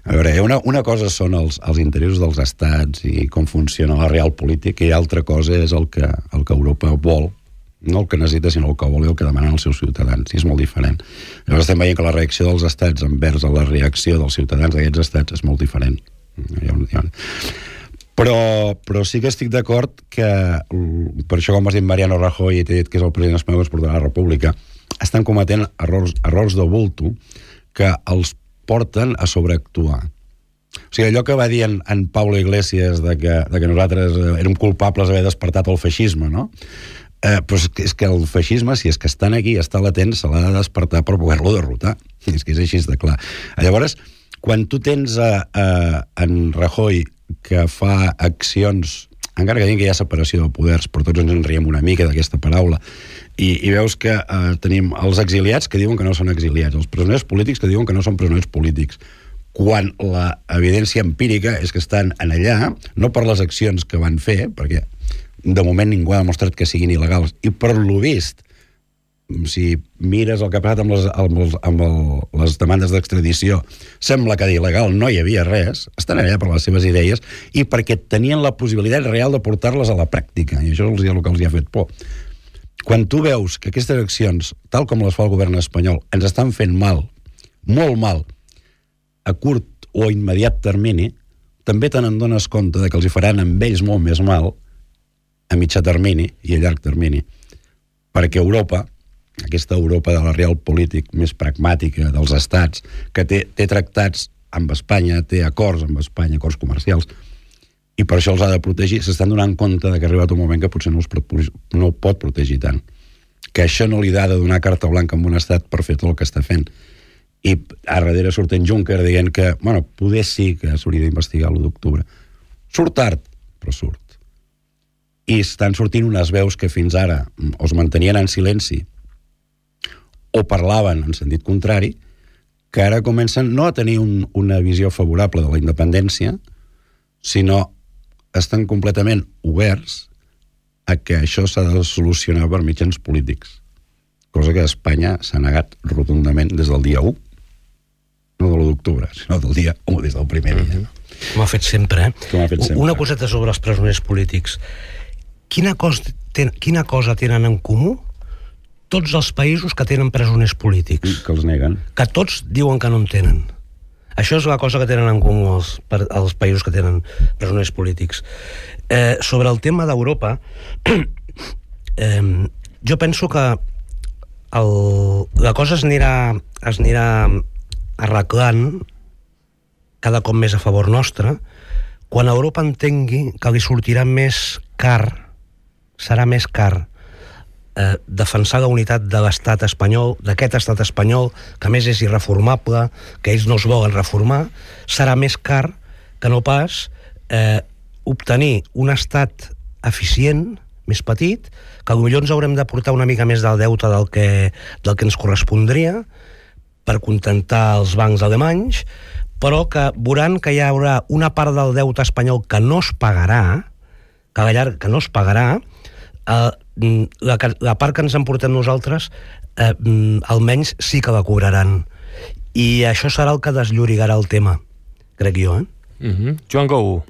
a veure, una cosa són els interessos dels estats i com funciona la real política, i altra cosa és el que Europa vol, no el que necessita, sinó el que vol i el que demanen els seus ciutadans, i és molt diferent. Llavors estem veient que la reacció dels estats envers la reacció dels ciutadans d'aquests estats és molt diferent. Però sí que estic d'acord que, per això com has dit Mariano Rajoy i t'he dit que és el president espanyol que es portarà a la República, estan cometent errors de bulto que els porten a sobreactuar. O sigui, allò que va dir en Pablo Iglesias de que nosaltres érem culpables d'haver despertat el feixisme, no? Però és que el feixisme, si és que estan aquí, està latent, se l'ha de despertar per poder-lo derrotar. És que és així de clar. Llavors, quan tu tens en Rajoy que fa accions, encara que diguin que hi ha separació de poders, però tots ens en riem una mica d'aquesta paraula, i veus que tenim els exiliats que diuen que no són exiliats, els presoners polítics que diuen que no són presoners polítics, quan la evidència empírica és que estan en allà, no per les accions que van fer, perquè de moment ningú ha demostrat que siguin il·legals, i per lo vist, si mires el que ha passat amb les demandes d'extradició, sembla que d'il·legal no hi havia res, estan allà per les seves idees i perquè tenien la possibilitat real de portar-les a la pràctica, i això és el que els hi ha fet por. Quan tu veus que aquestes accions, tal com les fa el govern espanyol, ens estan fent mal, molt mal, a curt o immediat termini, també te n'adones compte que els hi faran amb ells molt més mal a mitjà termini i a llarg termini, perquè Europa, aquesta Europa de la real polític més pragmàtica dels estats, que té tractats amb Espanya, té acords amb Espanya, acords comercials, i per això els ha de protegir, s'estan donant compte que ha arribat un moment que potser no el pot protegir tant, que això no li ha de donar carta blanca a un estat per fer tot el que està fent. I a darrere surt en Juncker dient que, bueno, poder sí que s'hauria d'investigar l'1 d'octubre. Surt tard, però surt. I estan sortint unes veus que fins ara o es mantenien en silenci o parlaven en sentit contrari, que ara comencen no a tenir una visió favorable de la independència, sinó estan completament oberts a que això s'ha de solucionar per mitjans polítics, cosa que Espanya s'ha negat rotundament des del dia 1, no de l'1 d'octubre, sinó del dia 1, des del primer dia. Com ha fet sempre, Una coseta sobre els presoners polítics. Quina cosa tenen en comú tots els països que tenen presoners polítics? Que els neguen. Que tots diuen que no en tenen. Això és la cosa que tenen en comú els països que tenen presoners polítics. Sobre el tema d'Europa, jo penso que la cosa es anirà arreglant cada cop més a favor nostre quan Europa entengui que li sortirà més car, serà més car defensar la unitat de l'estat espanyol, d'aquest estat espanyol, que a més és irreformable, que ells no es volen reformar, serà més car que no pas obtenir un estat eficient, més petit, que potser ens haurem de portar una mica més del deute del que ens correspondria per contentar els bancs alemanys, però que veuran que hi haurà una part del deute espanyol que no es pagarà, que no es pagarà, la part que ens emportem nosaltres almenys sí que la cobraran, i això serà el que desllorigarà el tema, crec jo. Joan Gou.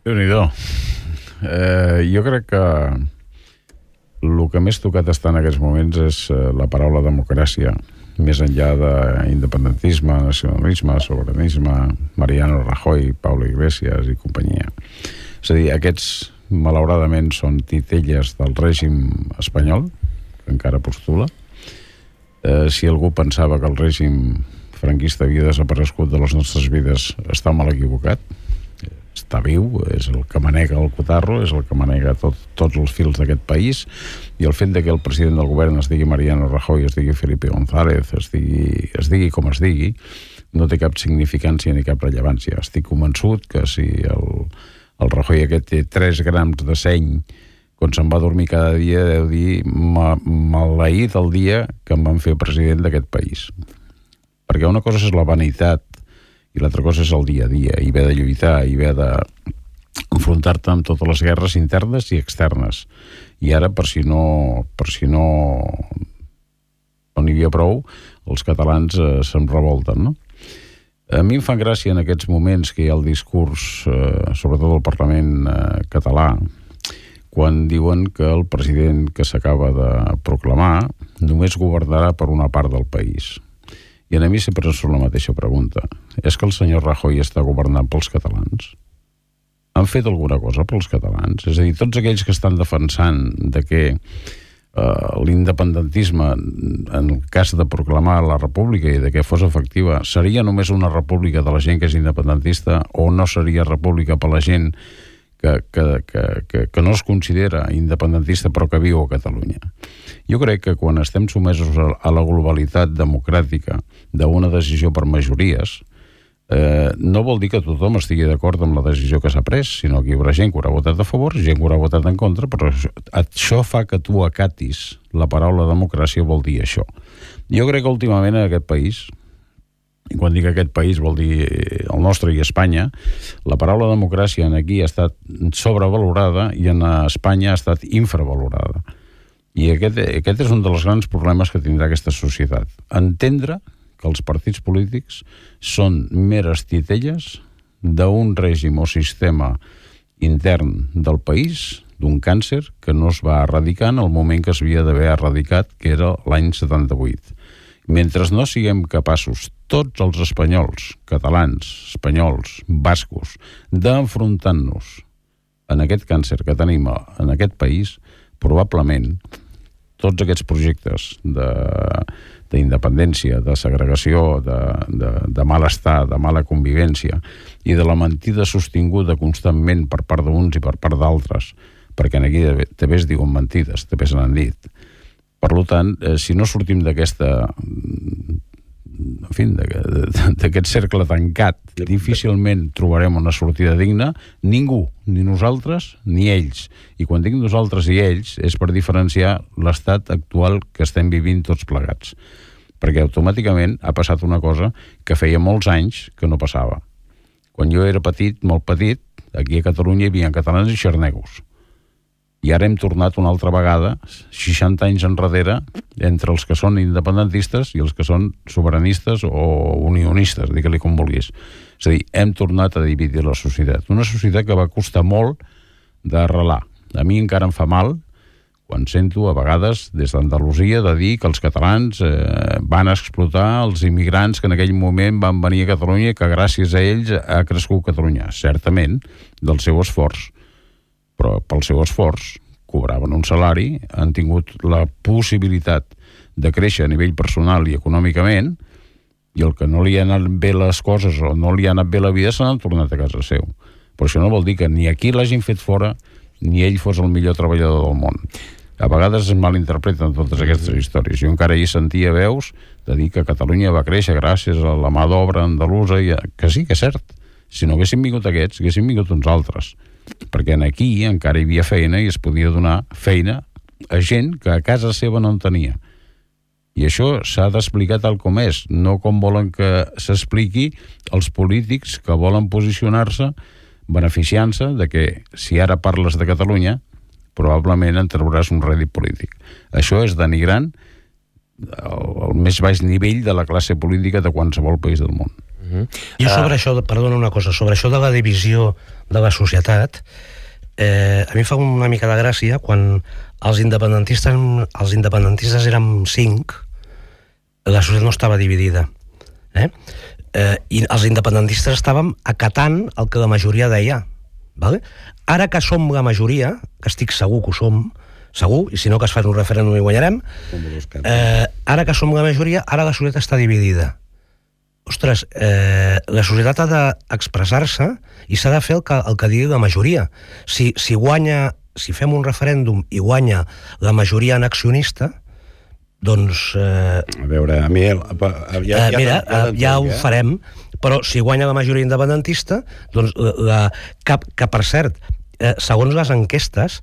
Déu-n'hi-do. Jo crec que el que més tocat està en aquests moments és la paraula democràcia, més enllà d'independentisme, nacionalisme, sobiranisme, Mariano Rajoy, Pablo Iglesias i companyia. És a dir, aquests malauradament són titelles del règim espanyol, que encara postula. Si algú pensava que el règim franquista havia desaparegut de les nostres vides, està mal equivocat. està viu, és el que manega el cotarro, és el que manega tots els fils d'aquest país, i el fet que el president del govern es digui Mariano Rajoy, es digui Felipe González, es digui com es digui, no té cap significància ni cap rellevància. Estic convençut que si el Rajoy aquest té 3 grams de seny quan se'n va dormir cada dia, deu dir maleït el dia que em van fer president d'aquest país. Perquè una cosa és la vanitat i l'altra cosa és el dia a dia, i haver de lluitar, i haver d'enfrontar-te amb totes les guerres internes i externes. I ara, per si no n'hi havia prou, els catalans se'n revolten, no? A mi em fan gràcia en aquests moments que hi ha el discurs, sobretot al Parlament català, quan diuen que el president que s'acaba de proclamar només governarà per una part del país. I a mi sempre és la mateixa pregunta. És que el senyor Rajoy està governant pels catalans? Han fet alguna cosa pels catalans? És a dir, tots aquells que estan defensant de que l'independentisme, en el cas de proclamar la república i de que fos efectiva, seria només una república de la gent que és independentista o no seria república per la gent que no es considera independentista però que viu a Catalunya? Jo crec que quan estem sotmesos a la globalitat democràtica d'una decisió per majories, no vol dir que tothom estigui d'acord amb la decisió que s'ha pres, sinó que hi haurà gent que haurà votat a favor, gent que haurà votat en contra, però això fa que tu acatis la paraula democràcia, vol dir això. Jo crec que últimament en aquest país, i quan dic aquest país vol dir el nostre i Espanya, la paraula democràcia aquí ha estat sobrevalorada i en Espanya ha estat infravalorada. I aquest és un dels grans problemes que tindrà aquesta societat. Entendre que els partits polítics són meres titelles d'un règim o sistema intern del país, d'un càncer que no es va erradicar en el moment que s'havia d'haver erradicat, que era l'any 78. Mentre no siguem capaços, tots els espanyols, catalans, espanyols, bascos, d'enfrontar-nos en aquest càncer que tenim en aquest país, probablement tots aquests projectes d'independència, de segregació, de malestar, de mala convivència i de la mentida sostinguda constantment per part d'uns i per part d'altres, perquè aquí també es diuen mentides, també se n'han dit. Per tant, si no sortim d'aquesta, en fi, d'aquest cercle tancat, difícilment trobarem una sortida digna, ningú, ni nosaltres ni ells. I quan dic nosaltres i ells és per diferenciar l'estat actual que estem vivint tots plegats. Perquè automàticament ha passat una cosa que feia molts anys que no passava. Quan jo era petit, molt petit, aquí a Catalunya hi havia catalans i xarnegos. I ara hem tornat una altra vegada, 60 anys enrere, entre els que són independentistes i els que són sobiranistes o unionistes, digue-li com vulguis. És a dir, hem tornat a dividir la societat. Una societat que va costar molt d'arrelar. A mi encara em fa mal quan sento a vegades des d'Andalusia de dir que els catalans van explotar els immigrants que en aquell moment van venir a Catalunya i que gràcies a ells ha crescut Catalunya. Certament, del seu esforç. Però pel seu esforç cobraven un salari, han tingut la possibilitat de créixer a nivell personal i econòmicament, i el que no li han anat bé les coses o no li ha anat bé la vida se n'han tornat a casa seu. Però això no vol dir que ni aquí l'hagin fet fora ni ell fos el millor treballador del món. A vegades es malinterpreten totes aquestes històries. Jo encara hi sentia veus de dir que Catalunya va créixer gràcies a la mà d'obra andalusa, que sí, que és cert. Si no haguessin vingut aquests, haguessin vingut uns altres. Perquè aquí encara hi havia feina i es podia donar feina a gent que a casa seva no en tenia. I això s'ha d'explicar tal com és, no com volen que s'expliqui els polítics que volen posicionar-se beneficiant-se de que si ara parles de Catalunya probablement en trauràs un rèdit polític. Això és denigrant el més baix nivell de la classe política de qualsevol país del món. Jo sobre això, perdona una cosa, sobre això de la divisió de la societat, a mi fa una mica de gràcia quan els independentistes érem 5, la societat no estava dividida. I els independentistes estàvem acatant el que la majoria deia. Vale? Ara que som la majoria, que estic segur que ho som, segur, i si no que es fa un referèndum i guanyarem, ara que som la majoria, ara la societat està dividida. ostres, la societat ha d'expressar-se i s'ha de fer el que digui la majoria. Si fem un referèndum i guanya la majoria annexionista, doncs... A veure, a mi... ja ho farem, però si guanya la majoria independentista, doncs que per cert, segons les enquestes,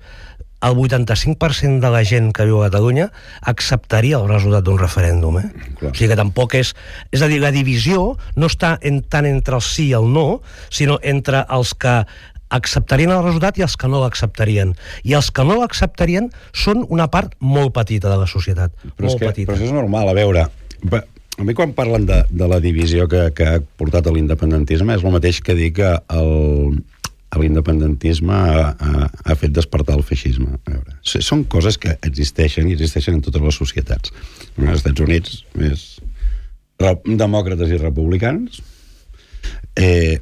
el 85% de la gent que viu a Catalunya acceptaria el resultat d'un referèndum. O sigui que tampoc és... És a dir, la divisió no està tant entre el sí i el no, sinó entre els que acceptarien el resultat i els que no l'acceptarien. I els que no l'acceptarien són una part molt petita de la societat. Però això és normal, a veure... A mi quan parlen de la divisió que ha portat a l'independentisme és el mateix que dir que l'independentisme ha fet despertar el feixisme. A veure, són coses que existeixen i existeixen en totes les societats. Als Estats Units, més demòcrates i republicans, en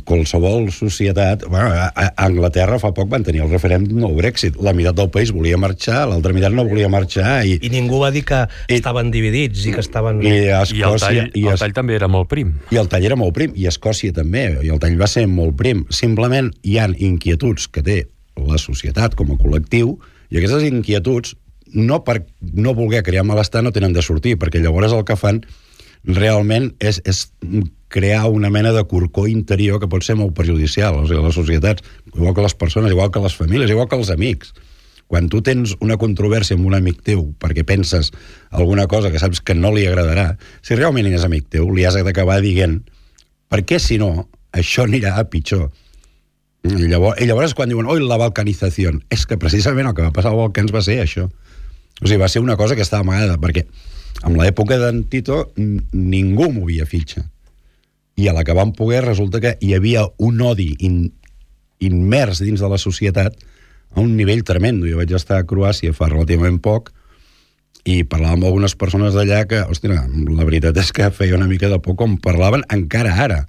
qualsevol societat... A Anglaterra fa poc van tenir el referèndum del Brexit. La meitat del país volia marxar, l'altra meitat no volia marxar. I ningú va dir que estaven dividits i que estaven... I el tall també era molt prim. I el tall era molt prim, i Escòcia també, i el tall va ser molt prim. Simplement hi ha inquietuds que té la societat com a col·lectiu, i aquestes inquietuds, no per no voler crear malestar, no tenen de sortir, perquè llavors el que fan realment és crear una mena de corcó interior que pot ser molt perjudicial. O sigui, les societats, igual que les persones, igual que les famílies, igual que els amics. Quan tu tens una controvèrsia amb un amic teu perquè penses alguna cosa que saps que no li agradarà, si realment és amic teu, li has d'acabar dient perquè si no, això anirà a pitjor. I llavors quan diuen, oi, la balcanització, és que precisament el que va passar als Balcans va ser això. O sigui, va ser una cosa que estava amagada, perquè en l'època d'en Tito ningú movia fitxa. I a la que van poder resulta que hi havia un odi immers dins de la societat a un nivell tremendo. Jo vaig estar a Croàcia fa relativament poc i parlava amb algunes persones d'allà que, hòstia, la veritat és que feia una mica de por com parlaven encara ara.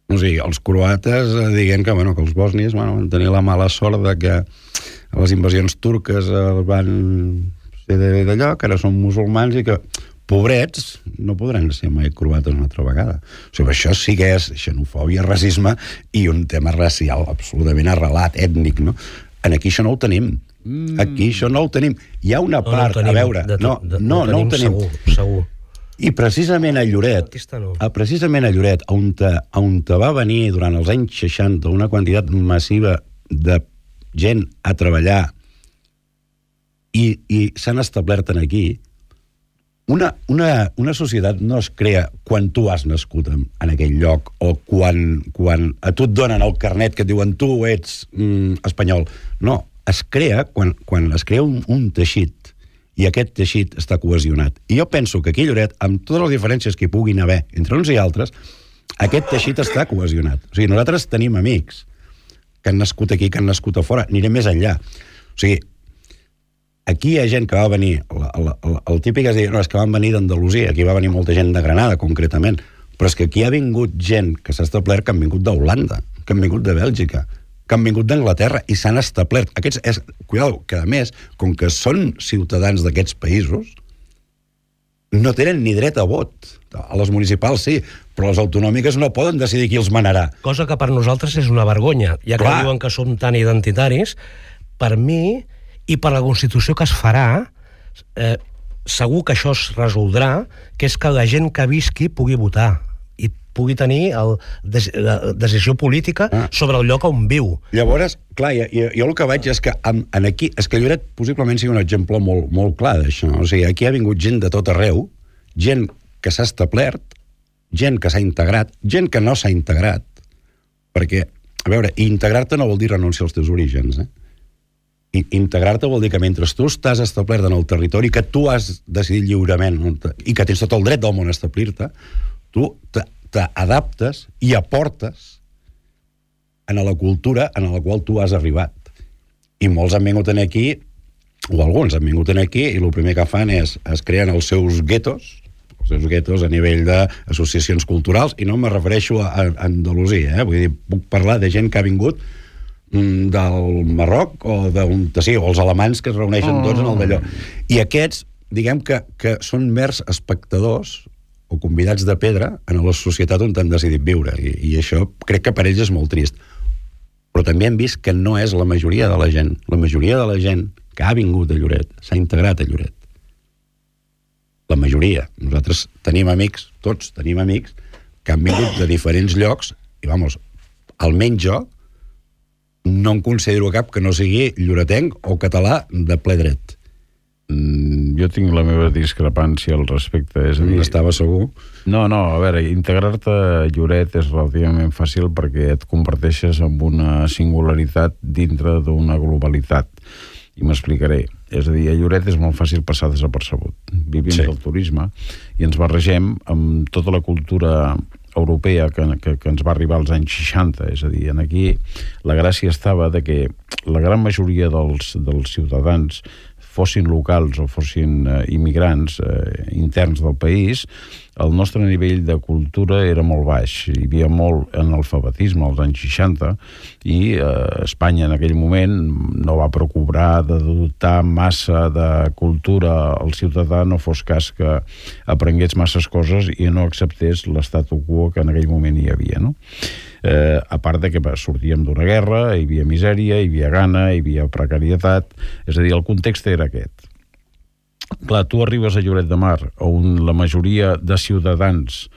O sigui, els croates dient que els bòsnies van tenir la mala sort de que les invasions turques van ser d'allò, que ara són musulmans i que, pobrets, no podran ser mai croates una altra vegada. O sigui, això sí que és xenofòbia, racisme i un tema racial absolutament arrelat, ètnic, no? Aquí això no ho tenim. Aquí això no ho tenim. Hi ha una part, a veure... No ho tenim. Segur. I precisament a Lloret, on va venir durant els anys 60 una quantitat massiva de gent a treballar i s'han establert aquí, una societat no es crea quan tu has nascut en aquell lloc o quan a tu et donen el carnet que et diuen tu ets espanyol. No, es crea quan es crea un teixit i aquest teixit està cohesionat. I jo penso que aquí a Lloret, amb totes les diferències que hi puguin haver entre uns i altres, aquest teixit està cohesionat. O sigui, nosaltres tenim amics que han nascut aquí, que han nascut a fora, anirem més enllà. O sigui, aquí hi ha gent que va venir, el típic és dir, no, és que van venir d'Andalusia, aquí va venir molta gent de Granada, concretament, però és que aquí ha vingut gent que s'ha establert, que han vingut d'Holanda, que han vingut de Bèlgica, que han vingut d'Anglaterra i s'han establert. Cuidado, que a més, com que són ciutadans d'aquests països, no tenen ni dret a vot. A les municipals sí, però les autonòmiques no poden decidir qui els manarà. Cosa que per nosaltres és una vergonya, ja que diuen que som tan identitaris. Per mi, i per la Constitució que es farà, segur que això es resoldrà, que és que la gent que visqui pugui votar i pugui tenir la decisió política sobre el lloc on viu. Llavors, clar, jo el que veig és que aquí, és que Lloret possiblement sigui un exemple molt clar d'això. O sigui, aquí ha vingut gent de tot arreu, gent que s'ha establert, gent que s'ha integrat, gent que no s'ha integrat, perquè, a veure, integrar-te no vol dir renunciar als teus orígens, I integrar-te vol dir que mentre tu estàs establert en el territori que tu has decidit lliurement i que tens tot el dret del món a establir-te, tu t'adaptes i aportes en la cultura en la qual tu has arribat. I molts han vingut aquí, o alguns han vingut aquí, i el primer que fan és es creen els seus guetos a nivell d'associacions culturals, i no me refereixo a Andalusia, vull dir, puc parlar de gent que ha vingut del Marroc o o els alemans que es reuneixen tots en el d'allò. I aquests diguem que són mers espectadors o convidats de pedra en la societat on han decidit viure, i això crec que per ells és molt trist. Però també hem vist que no és la majoria de la gent. La majoria de la gent que ha vingut a Lloret s'ha integrat a Lloret. La majoria. Nosaltres tenim amics, tots tenim amics, que han vingut de diferents llocs, i vamos, almenys jo no em considero cap que no sigui lloretenc o català de ple dret. Jo tinc la meva discrepància al respecte, és a dir... Estava segur? No, a veure, integrar-te a Lloret és relativament fàcil perquè et converteixes en una singularitat dintre d'una globalitat. I m'explicaré. És a dir, a Lloret és molt fàcil passar desapercebut. Vivim del turisme i ens barregem amb tota la cultura europea que ens va arribar als anys 60. És a dir, aquí la gràcia estava de que la gran majoria dels ciutadans, fossin locals o fossin immigrants interns del país, el nostre nivell de cultura era molt baix. Hi havia molt analfabetisme als anys 60 i Espanya en aquell moment no va procurar de dotar massa de cultura al ciutadà, no fos cas que aprengués masses coses i no acceptés l'statu quo que en aquell moment hi havia, no? A part de que sortíem d'una guerra, hi havia misèria, hi havia gana, hi havia precarietat, és a dir, el context era aquest. Clar, tu arribes a Lloret de Mar, on la majoria de ciutadans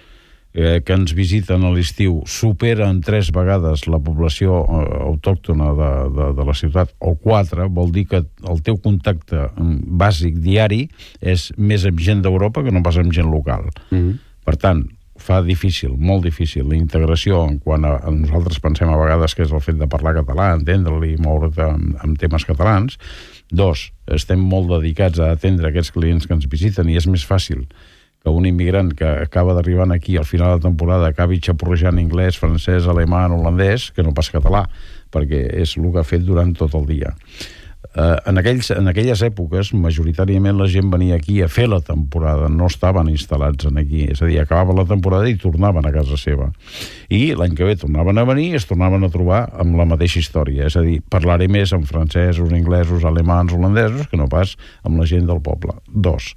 que ens visiten a l'estiu superen 3 vegades la població autòctona de la ciutat, o 4, vol dir que el teu contacte bàsic diari és més amb gent d'Europa que no pas amb gent local. Per tant, fa difícil, molt difícil, la integració en quan a nosaltres pensem a vegades que és el fet de parlar català, entendre-li i moure't amb temes catalans. 2, estem molt dedicats a atendre aquests clients que ens visiten i és més fàcil que un immigrant que acaba d'arribar aquí al final de temporada acabi xaporrejant anglès, francès, alemany, holandès, que no pas català, perquè és el que ha fet durant tot el dia. En aquelles èpoques, majoritàriament la gent venia aquí a fer la temporada, no estaven instal·lats aquí, és a dir, acabava la temporada i tornaven a casa seva. I l'any que ve tornaven a venir i es tornaven a trobar amb la mateixa història, és a dir, parlaré més amb francesos, inglesos, alemans, holandesos, que no pas amb la gent del poble. 2,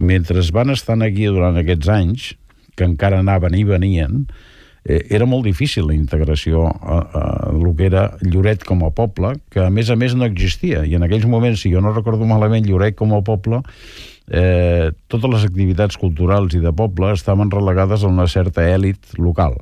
mentre van estar aquí durant aquests anys, que encara anaven i venien, era molt difícil la integració a el que era Lloret com a poble, que a més no existia, i en aquells moments, si jo no recordo malament, Lloret com a poble, totes les activitats culturals i de poble estaven relegades a una certa èlit local.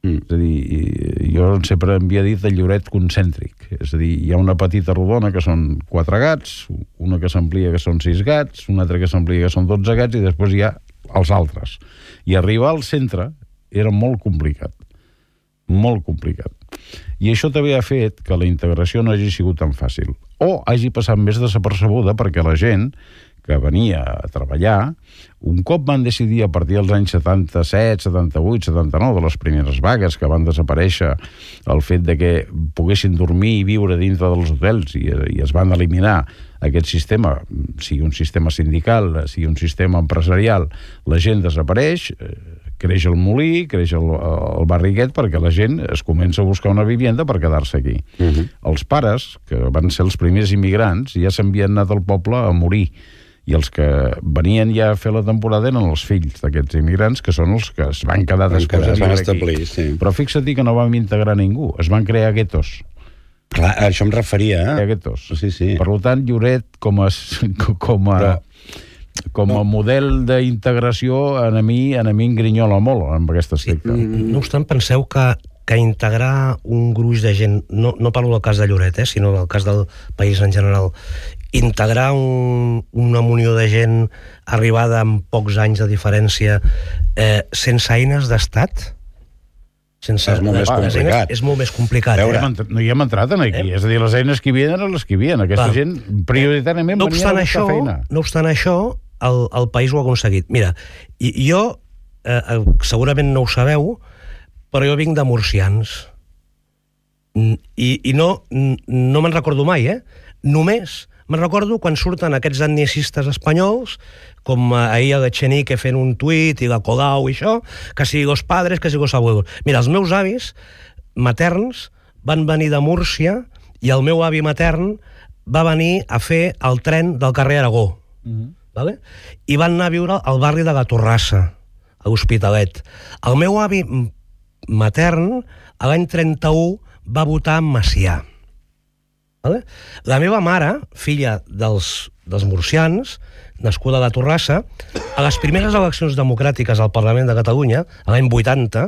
És a dir, jo sempre havia dit el Lloret concèntric, és a dir, hi ha una petita rodona que són 4 gats, una que s'amplia que són 6 gats, una altra que s'amplia que són 12 gats, i després hi ha els altres. I arribar al centre era molt complicat. Molt complicat. I això també ha fet que la integració no hagi sigut tan fàcil. O hagi passat més desapercebuda perquè la gent que venia a treballar, un cop van decidir a partir dels anys 77, 78, 79, de les primeres vagues que van desaparèixer, el fet de que poguessin dormir i viure dintre dels hotels i es van eliminar aquest sistema, sigui un sistema sindical, sigui un sistema empresarial, la gent desapareix, creix el molí, creix el barri aquest, perquè la gent es comença a buscar una vivienda per quedar-se aquí. Els pares, que van ser els primers immigrants, ja s'havien anat al poble a morir, i els que venien ja a fer la temporada eren els fills d'aquests immigrants, que són els que es van quedar després a viure aquí. Sí. Però fixa't que no vam integrar ningú, es van crear guetos. Clar, a això em referia, Guetos. Sí. Per tant, Lloret com a model d'integració a mi em grinyola molt amb aquest aspecte. No obstant, penseu que integrar un gruix de gent, no parlo del cas de Lloret, sinó del cas del país en general, integrar una munió de gent arribada amb pocs anys de diferència sense eines d'estat, és molt més complicat. És molt més complicat. No hi hem entrat aquí, és a dir, les eines que hi havien eren les que hi havien. Aquesta gent prioritàriament venia a buscar feina. No obstant això, el país ho ha aconseguit. Mira, jo, segurament no ho sabeu, però jo vinc de Murcians. I no me'n recordo mai, Només me'n recordo quan surten aquests etnicistes espanyols, com ahir el Echenique fent un tuit, i la Colau i això, que si los padres, que si los abuelos. Mira, els meus avis materns van venir de Múrcia i el meu avi matern va venir a fer el tren del carrer Aragó. vale? I van anar a viure al barri de la Torrassa, a l'Hospitalet. El meu avi matern, a l'any 31, va votar en Macià. Vale? La meva mare, filla dels murcians, nascuda a la Torrassa, a les primeres eleccions democràtiques al Parlament de Catalunya, a l'any 80,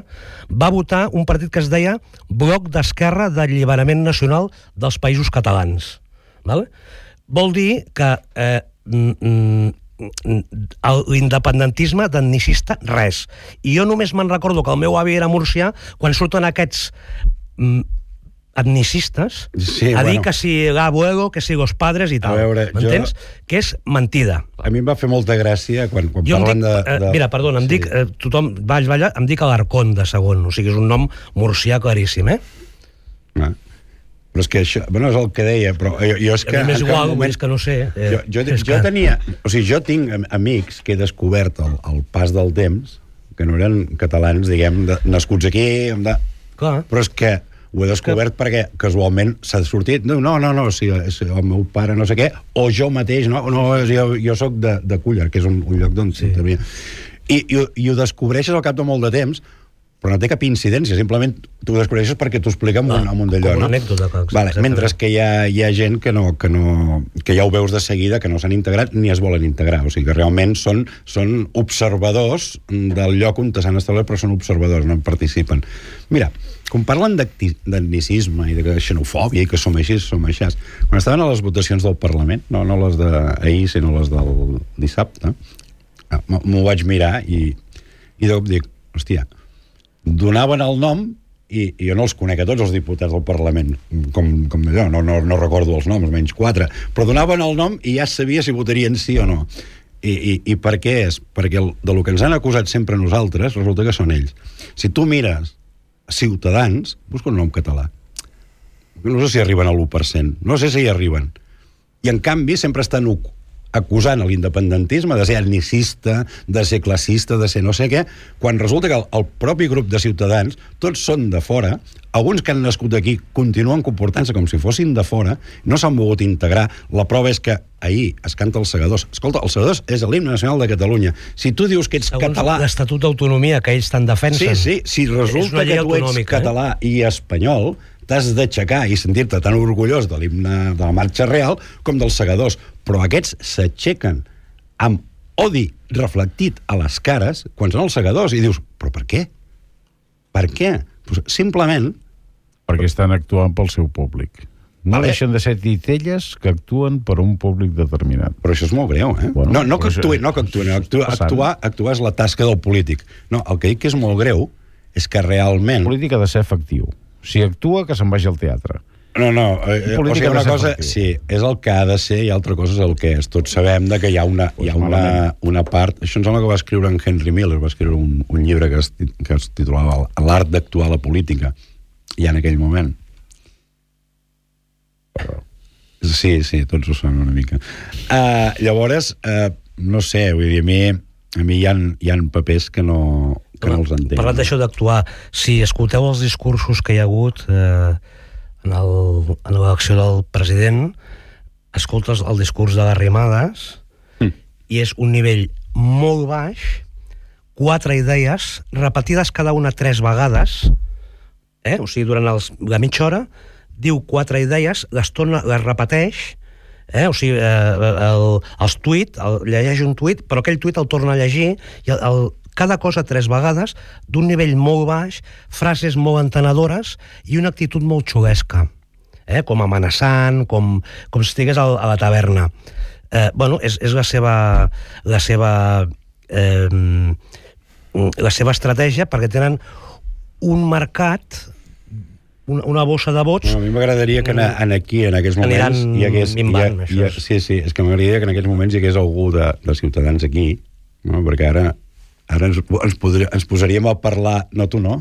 va votar un partit que es deia Bloc d'Esquerra d'Alliberament Nacional dels Països Catalans. Vale? Vol dir que l'independentisme d'etnicista, res. I jo només me'n recordo que el meu avi era murcià quan surten aquests etnicistes a dir que si l'abuelo, que si los padres i tal. M'entens? Que és mentida. A mi em va fer molta gràcia quan parlen de... Mira, perdona, em dic, tothom va allà, em dic Alarcón de segon, o sigui, és un nom murcià claríssim, Però és que això, bueno, és el que deia, però jo és que... A mi m'és igual, és que no sé. Jo tenia... O sigui, jo tinc amics que he descobert al pas del temps, que no eren catalans, diguem, nascuts aquí, Clar. Però és que ho he descobert perquè casualment s'ha sortit, no, si el meu pare no sé què, o jo mateix, jo soc de Cúller, que és un lloc d'on s'intervenia. I ho descobreixes al cap de molt de temps, però no té cap incidència, simplement tu ho descobreixes perquè t'ho explica amb un d'allò, no? Com una anècdota. Vale, mentre que hi ha gent que ja ho veus de seguida, que no s'han integrat ni es volen integrar, o sigui que realment són observadors del lloc on s'han establert, però són observadors, no en participen. Mira, quan parlen d'etnicisme i de xenofòbia i que som així, quan estaven a les votacions del Parlament, no les d'ahir, sinó les del dissabte, m'ho vaig mirar i dic, hòstia, donaven el nom i jo no els conec a tots els diputats del Parlament, com allò, no recordo els noms, menys 4, però donaven el nom i ja sabia si votarien sí o no. I per què és? Perquè de lo que ens han acusat sempre nosaltres, resulta que són ells. Si tu mires Ciutadans, busca un nom català. No sé si arriben a l'1%, no sé si hi arriben. I en canvi sempre estan acusant l'independentisme de ser etnicista, de ser classista, de ser no sé què, quan resulta que el propi grup de Ciutadans, tots són de fora, alguns que han nascut aquí continuen comportant-se com si fossin de fora, no s'han volgut integrar. La prova és que ahir es canta els Segadors. Escolta, els Segadors és l'himne nacional de Catalunya. Si tu dius que ets català... Segons l'Estatut d'Autonomia, que ells tant defensen. Sí, si resulta que tu ets català i espanyol, t'has d'aixecar i sentir-te tan orgullós de l'himne de la Marxa Real com dels Segadors. Però aquests s'aixequen amb odi reflectit a les cares quan són els Segadors i dius, però per què? Per què? Pues simplement... Perquè estan actuant pel seu públic. No deixen de ser titelles que actuen per un públic determinat. Però això és molt greu, Bueno, no que actuen. Actuar és la tasca del polític. No, el que dic que és molt greu és que realment... El polític ha de ser efectiu. Si actua, que se'n vagi al teatre. No, o sigui, una cosa, sí, és el que ha de ser i altra cosa és el que és. Tots sabem que hi ha una part... Això em sembla que va escriure en Henry Miller, va escriure un llibre que es titulava L'art d'actuar a la política, ja en aquell moment. Sí, tots ho saben una mica. Llavors, no sé, vull dir, a mi hi ha papers que no els entenc. Parlant d'això d'actuar, si escolteu els discursos que hi ha hagut en l'elecció del president, escoltes el discurs de Arrimadas i és un nivell molt baix, 4 idees repetides cada una 3 vegades, o sigui, durant la mitja hora diu 4 idees, les repeteix, o sigui, els tuit, llegeix un tuit, però aquell tuit el torna a llegir i cada cosa 3 vegades, d'un nivell molt baix, frases molt entenedores i una actitud molt xulesca, com amenaçant, com si estigués a la taverna. Bueno, és la seva estratègia, perquè tenen un mercat, una bossa de vots... A mi m'agradaria que aquí, en aquests moments... Sí, és que m'agradaria que en aquests moments hi hagués algú de Ciutadans aquí, perquè ara ens posaríem a parlar, no tu no,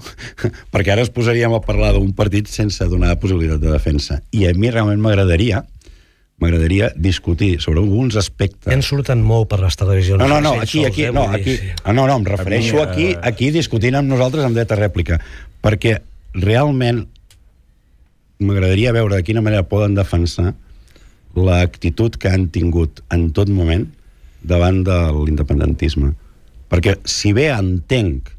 perquè ara ens posaríem a parlar d'un partit sense donar possibilitat de defensa. I a mi realment m'agradaria discutir sobre alguns aspectes... En surten molt per les televisions. No, em refereixo aquí discutint amb nosaltres amb dret a rèplica, perquè realment m'agradaria veure de quina manera poden defensar l'actitud que han tingut en tot moment davant de l'independentisme. Perquè si bé entenc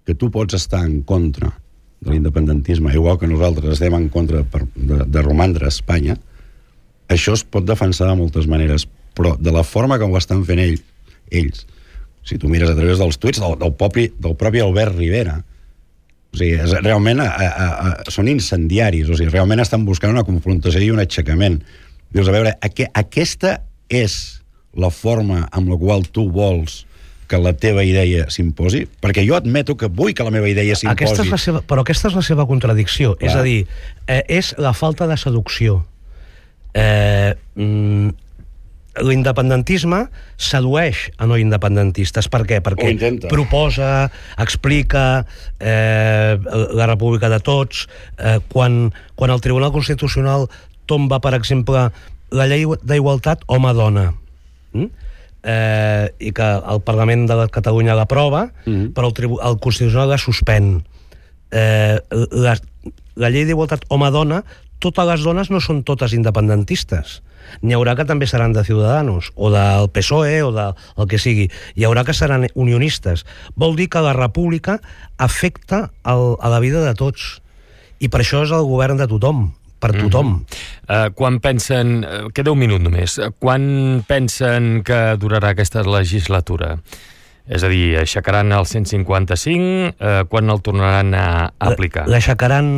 que tu pots estar en contra de l'independentisme, igual que nosaltres estem en contra de romandre a Espanya, això es pot defensar de moltes maneres, però de la forma com ho estan fent ells, si tu mires a través dels tuits del propi Albert Rivera, o sigui, realment són incendiaris, o sigui, realment estan buscant una confrontació i un aixecament. Dius, a veure, aquesta és la forma amb la qual tu vols que la teva idea s'imposi? Perquè jo admeto que vull que la meva idea s'imposi. Però aquesta és la seva contradicció. Clar. És a dir, és la falta de seducció. L'independentisme sedueix a no independentistes. Per què? Perquè proposa, explica la república de tots. Quan el Tribunal Constitucional tomba, per exemple, la llei d'igualtat home-dona, i que el Parlament de Catalunya l'aprova, però el Constitucional la suspèn. La llei d'igualtat home-dona, totes les dones no són totes independentistes. N'hi haurà que també seran de Ciudadanos, o del PSOE, o del que sigui. Hi haurà que seran unionistes. Vol dir que la república afecta a la vida de tots. I per això és el govern de tothom, per tothom. Quan pensen... Queda un minut només. Quan pensen que durarà aquesta legislatura? És a dir, aixecaran el 155? Quan el tornaran a aplicar? L'aixecaran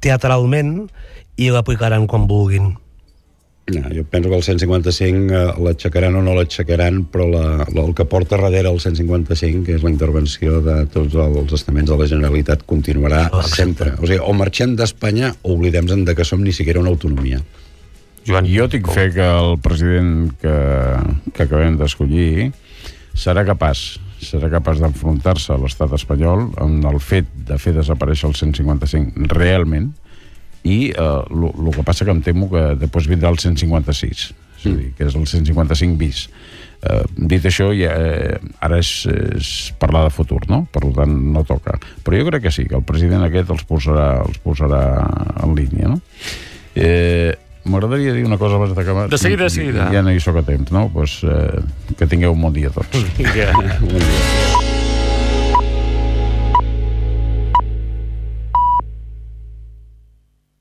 teatralment i l'aplicaran quan vulguin. No, jo penso que el 155 l'aixecaran o no l'aixecaran, però el que porta darrere el 155, que és la intervenció de tots els estaments de la Generalitat, continuarà sempre. O sigui, o marxem d'Espanya o oblidem-nos de que som ni siquiera una autonomia. Joan, jo tinc fe que el president que acabem d'escollir serà capaç d'enfrontar-se a l'estat espanyol amb el fet de fer desaparèixer el 155 realment, i el que passa que em temo que després vindrà el 156, és a dir, que és el 155 bis. Dit això, ara és parlar de futur, no? Per tant, no toca. Però jo crec que sí, que el president aquest els posarà en línia, no? M'agradaria dir una cosa abans d'acabar. De seguida. Ja no hi soc a temps, no? Pues, que tingueu un bon dia tots. Bon dia.